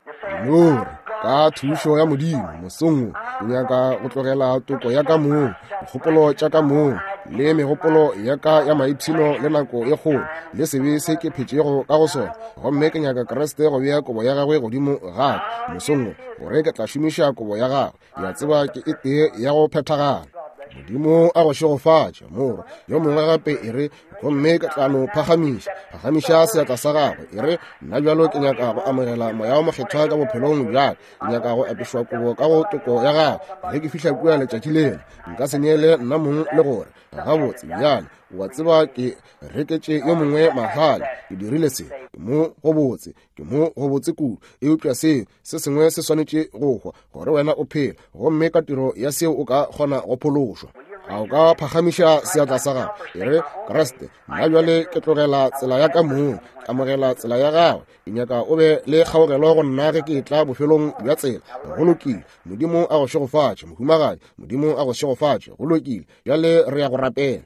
Nore, ka thušo ya Modimo, mosong wo, ke nyaka go tlogela toko ya ka mong, dikgopolo tša ka mong, le megopolo ya ka ya maipshino le nako e kgolo, le sebe se ke phetšego ka go sona. Gomme ke nyaka Kriste go bea kobo ya gagwe godimo ga ka, mosong wo, gore ke tla šomiša kobo ya gagwe. Ke a tseba ke e tee ya go phethagala. Modimo a go šegofatše, morwa. Yo mongwe gape e re, gomme ke tla no phagamiša, phagamiša seatla sa gagwe. E re, nna bjalo ke nyaka go amogela Moya wo Mokgethwa ka bophelong bja ka. Ke nyaka go apešwa kobo ka go toko ya gagwe. Ge ke fihla kua letšatši lela, nka se neele nna mong le gore, gabotse, bjale, o a tseba ke reketše yo mongwe mahala, ke dirile se, ke mo go botse, ke mo go botse kudu. Eupša se, se sengwe se swanetše go hwa gore wena o phele, gomme ka tiro ya seo o ka kgona go phološwa. A o ka phagamiša seatla sa gago e re, Kriste, nna bjale ke tlogela tsela ya ka mong, ke amogela tsela ya gagwe. Ke nyaka o be le kgaogelo go nna ge ke etla bofelong bja tsela. Go lokile. Modimo a go šegofatše, mohumagadi. Modimo a go šegofatše. Go lokile. Bjale re ya go rapela.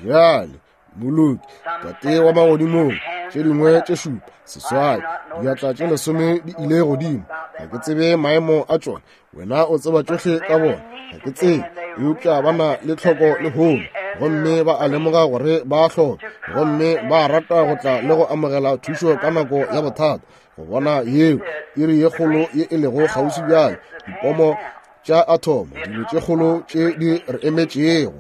Bjale, moloki, Tate wa magodimong, tše dingwe tše šupa, seswai, diatla tše lesome di ile godimo. Ga ke tsebe maemo a tšona, wena o tseba tšohle ka bona. Ga ke tsebe, eupša ba na le tlhoko lehono, gomme ba a lemoga gore ba hloka, gomme ba rata go tla le go amogela thušo ka nako ya bothata. Go bona yeo iri ye kgolo ye e lego kgauswi bjale, dipomo tša athomo, dilo tše kgolo tše di re emetšego.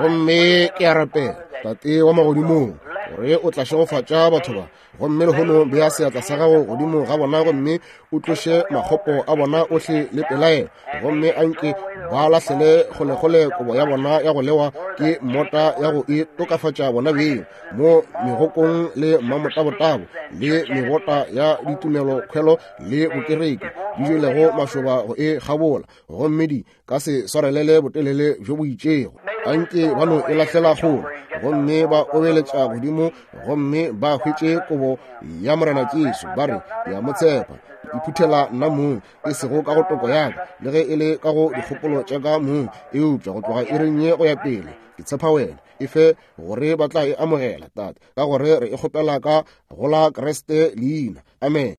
Gomme ke a rapela, Tate wa magodimong, gore o tla šegofatša batho ba. Gomme lehono bea seatla sa gago godimo ga bona gomme o tloše makgopo a bona ohle le pelaelo, gomme anke ba lahlele kgolekgole kobo ya bona ya go lewa ke mmota ya go e tokafatša bona beng mo megokong le mmamotabotabo le mebota ya ditumelokhwelo le bokereki di jelego mašoba go e kgabola, gomme di ka se swarelele botelele bjo bo itšego. Anke ba no e lahlela kgole gomme ba obeletša godimo gomme ba hwetše kobo ya Morena Jesu, ba re, Ke a mo tshepa, ke iphuthela nna mong, e sego ka go toko ya ka, le ge e le ka go dikgopolo tša ka mong, eupša go tloga iring ye go ya pele, ke tshepa wena. E fe gore ba tla e amogela, Tate, ka gore re e kgopela ka go la Kriste leina. Amen.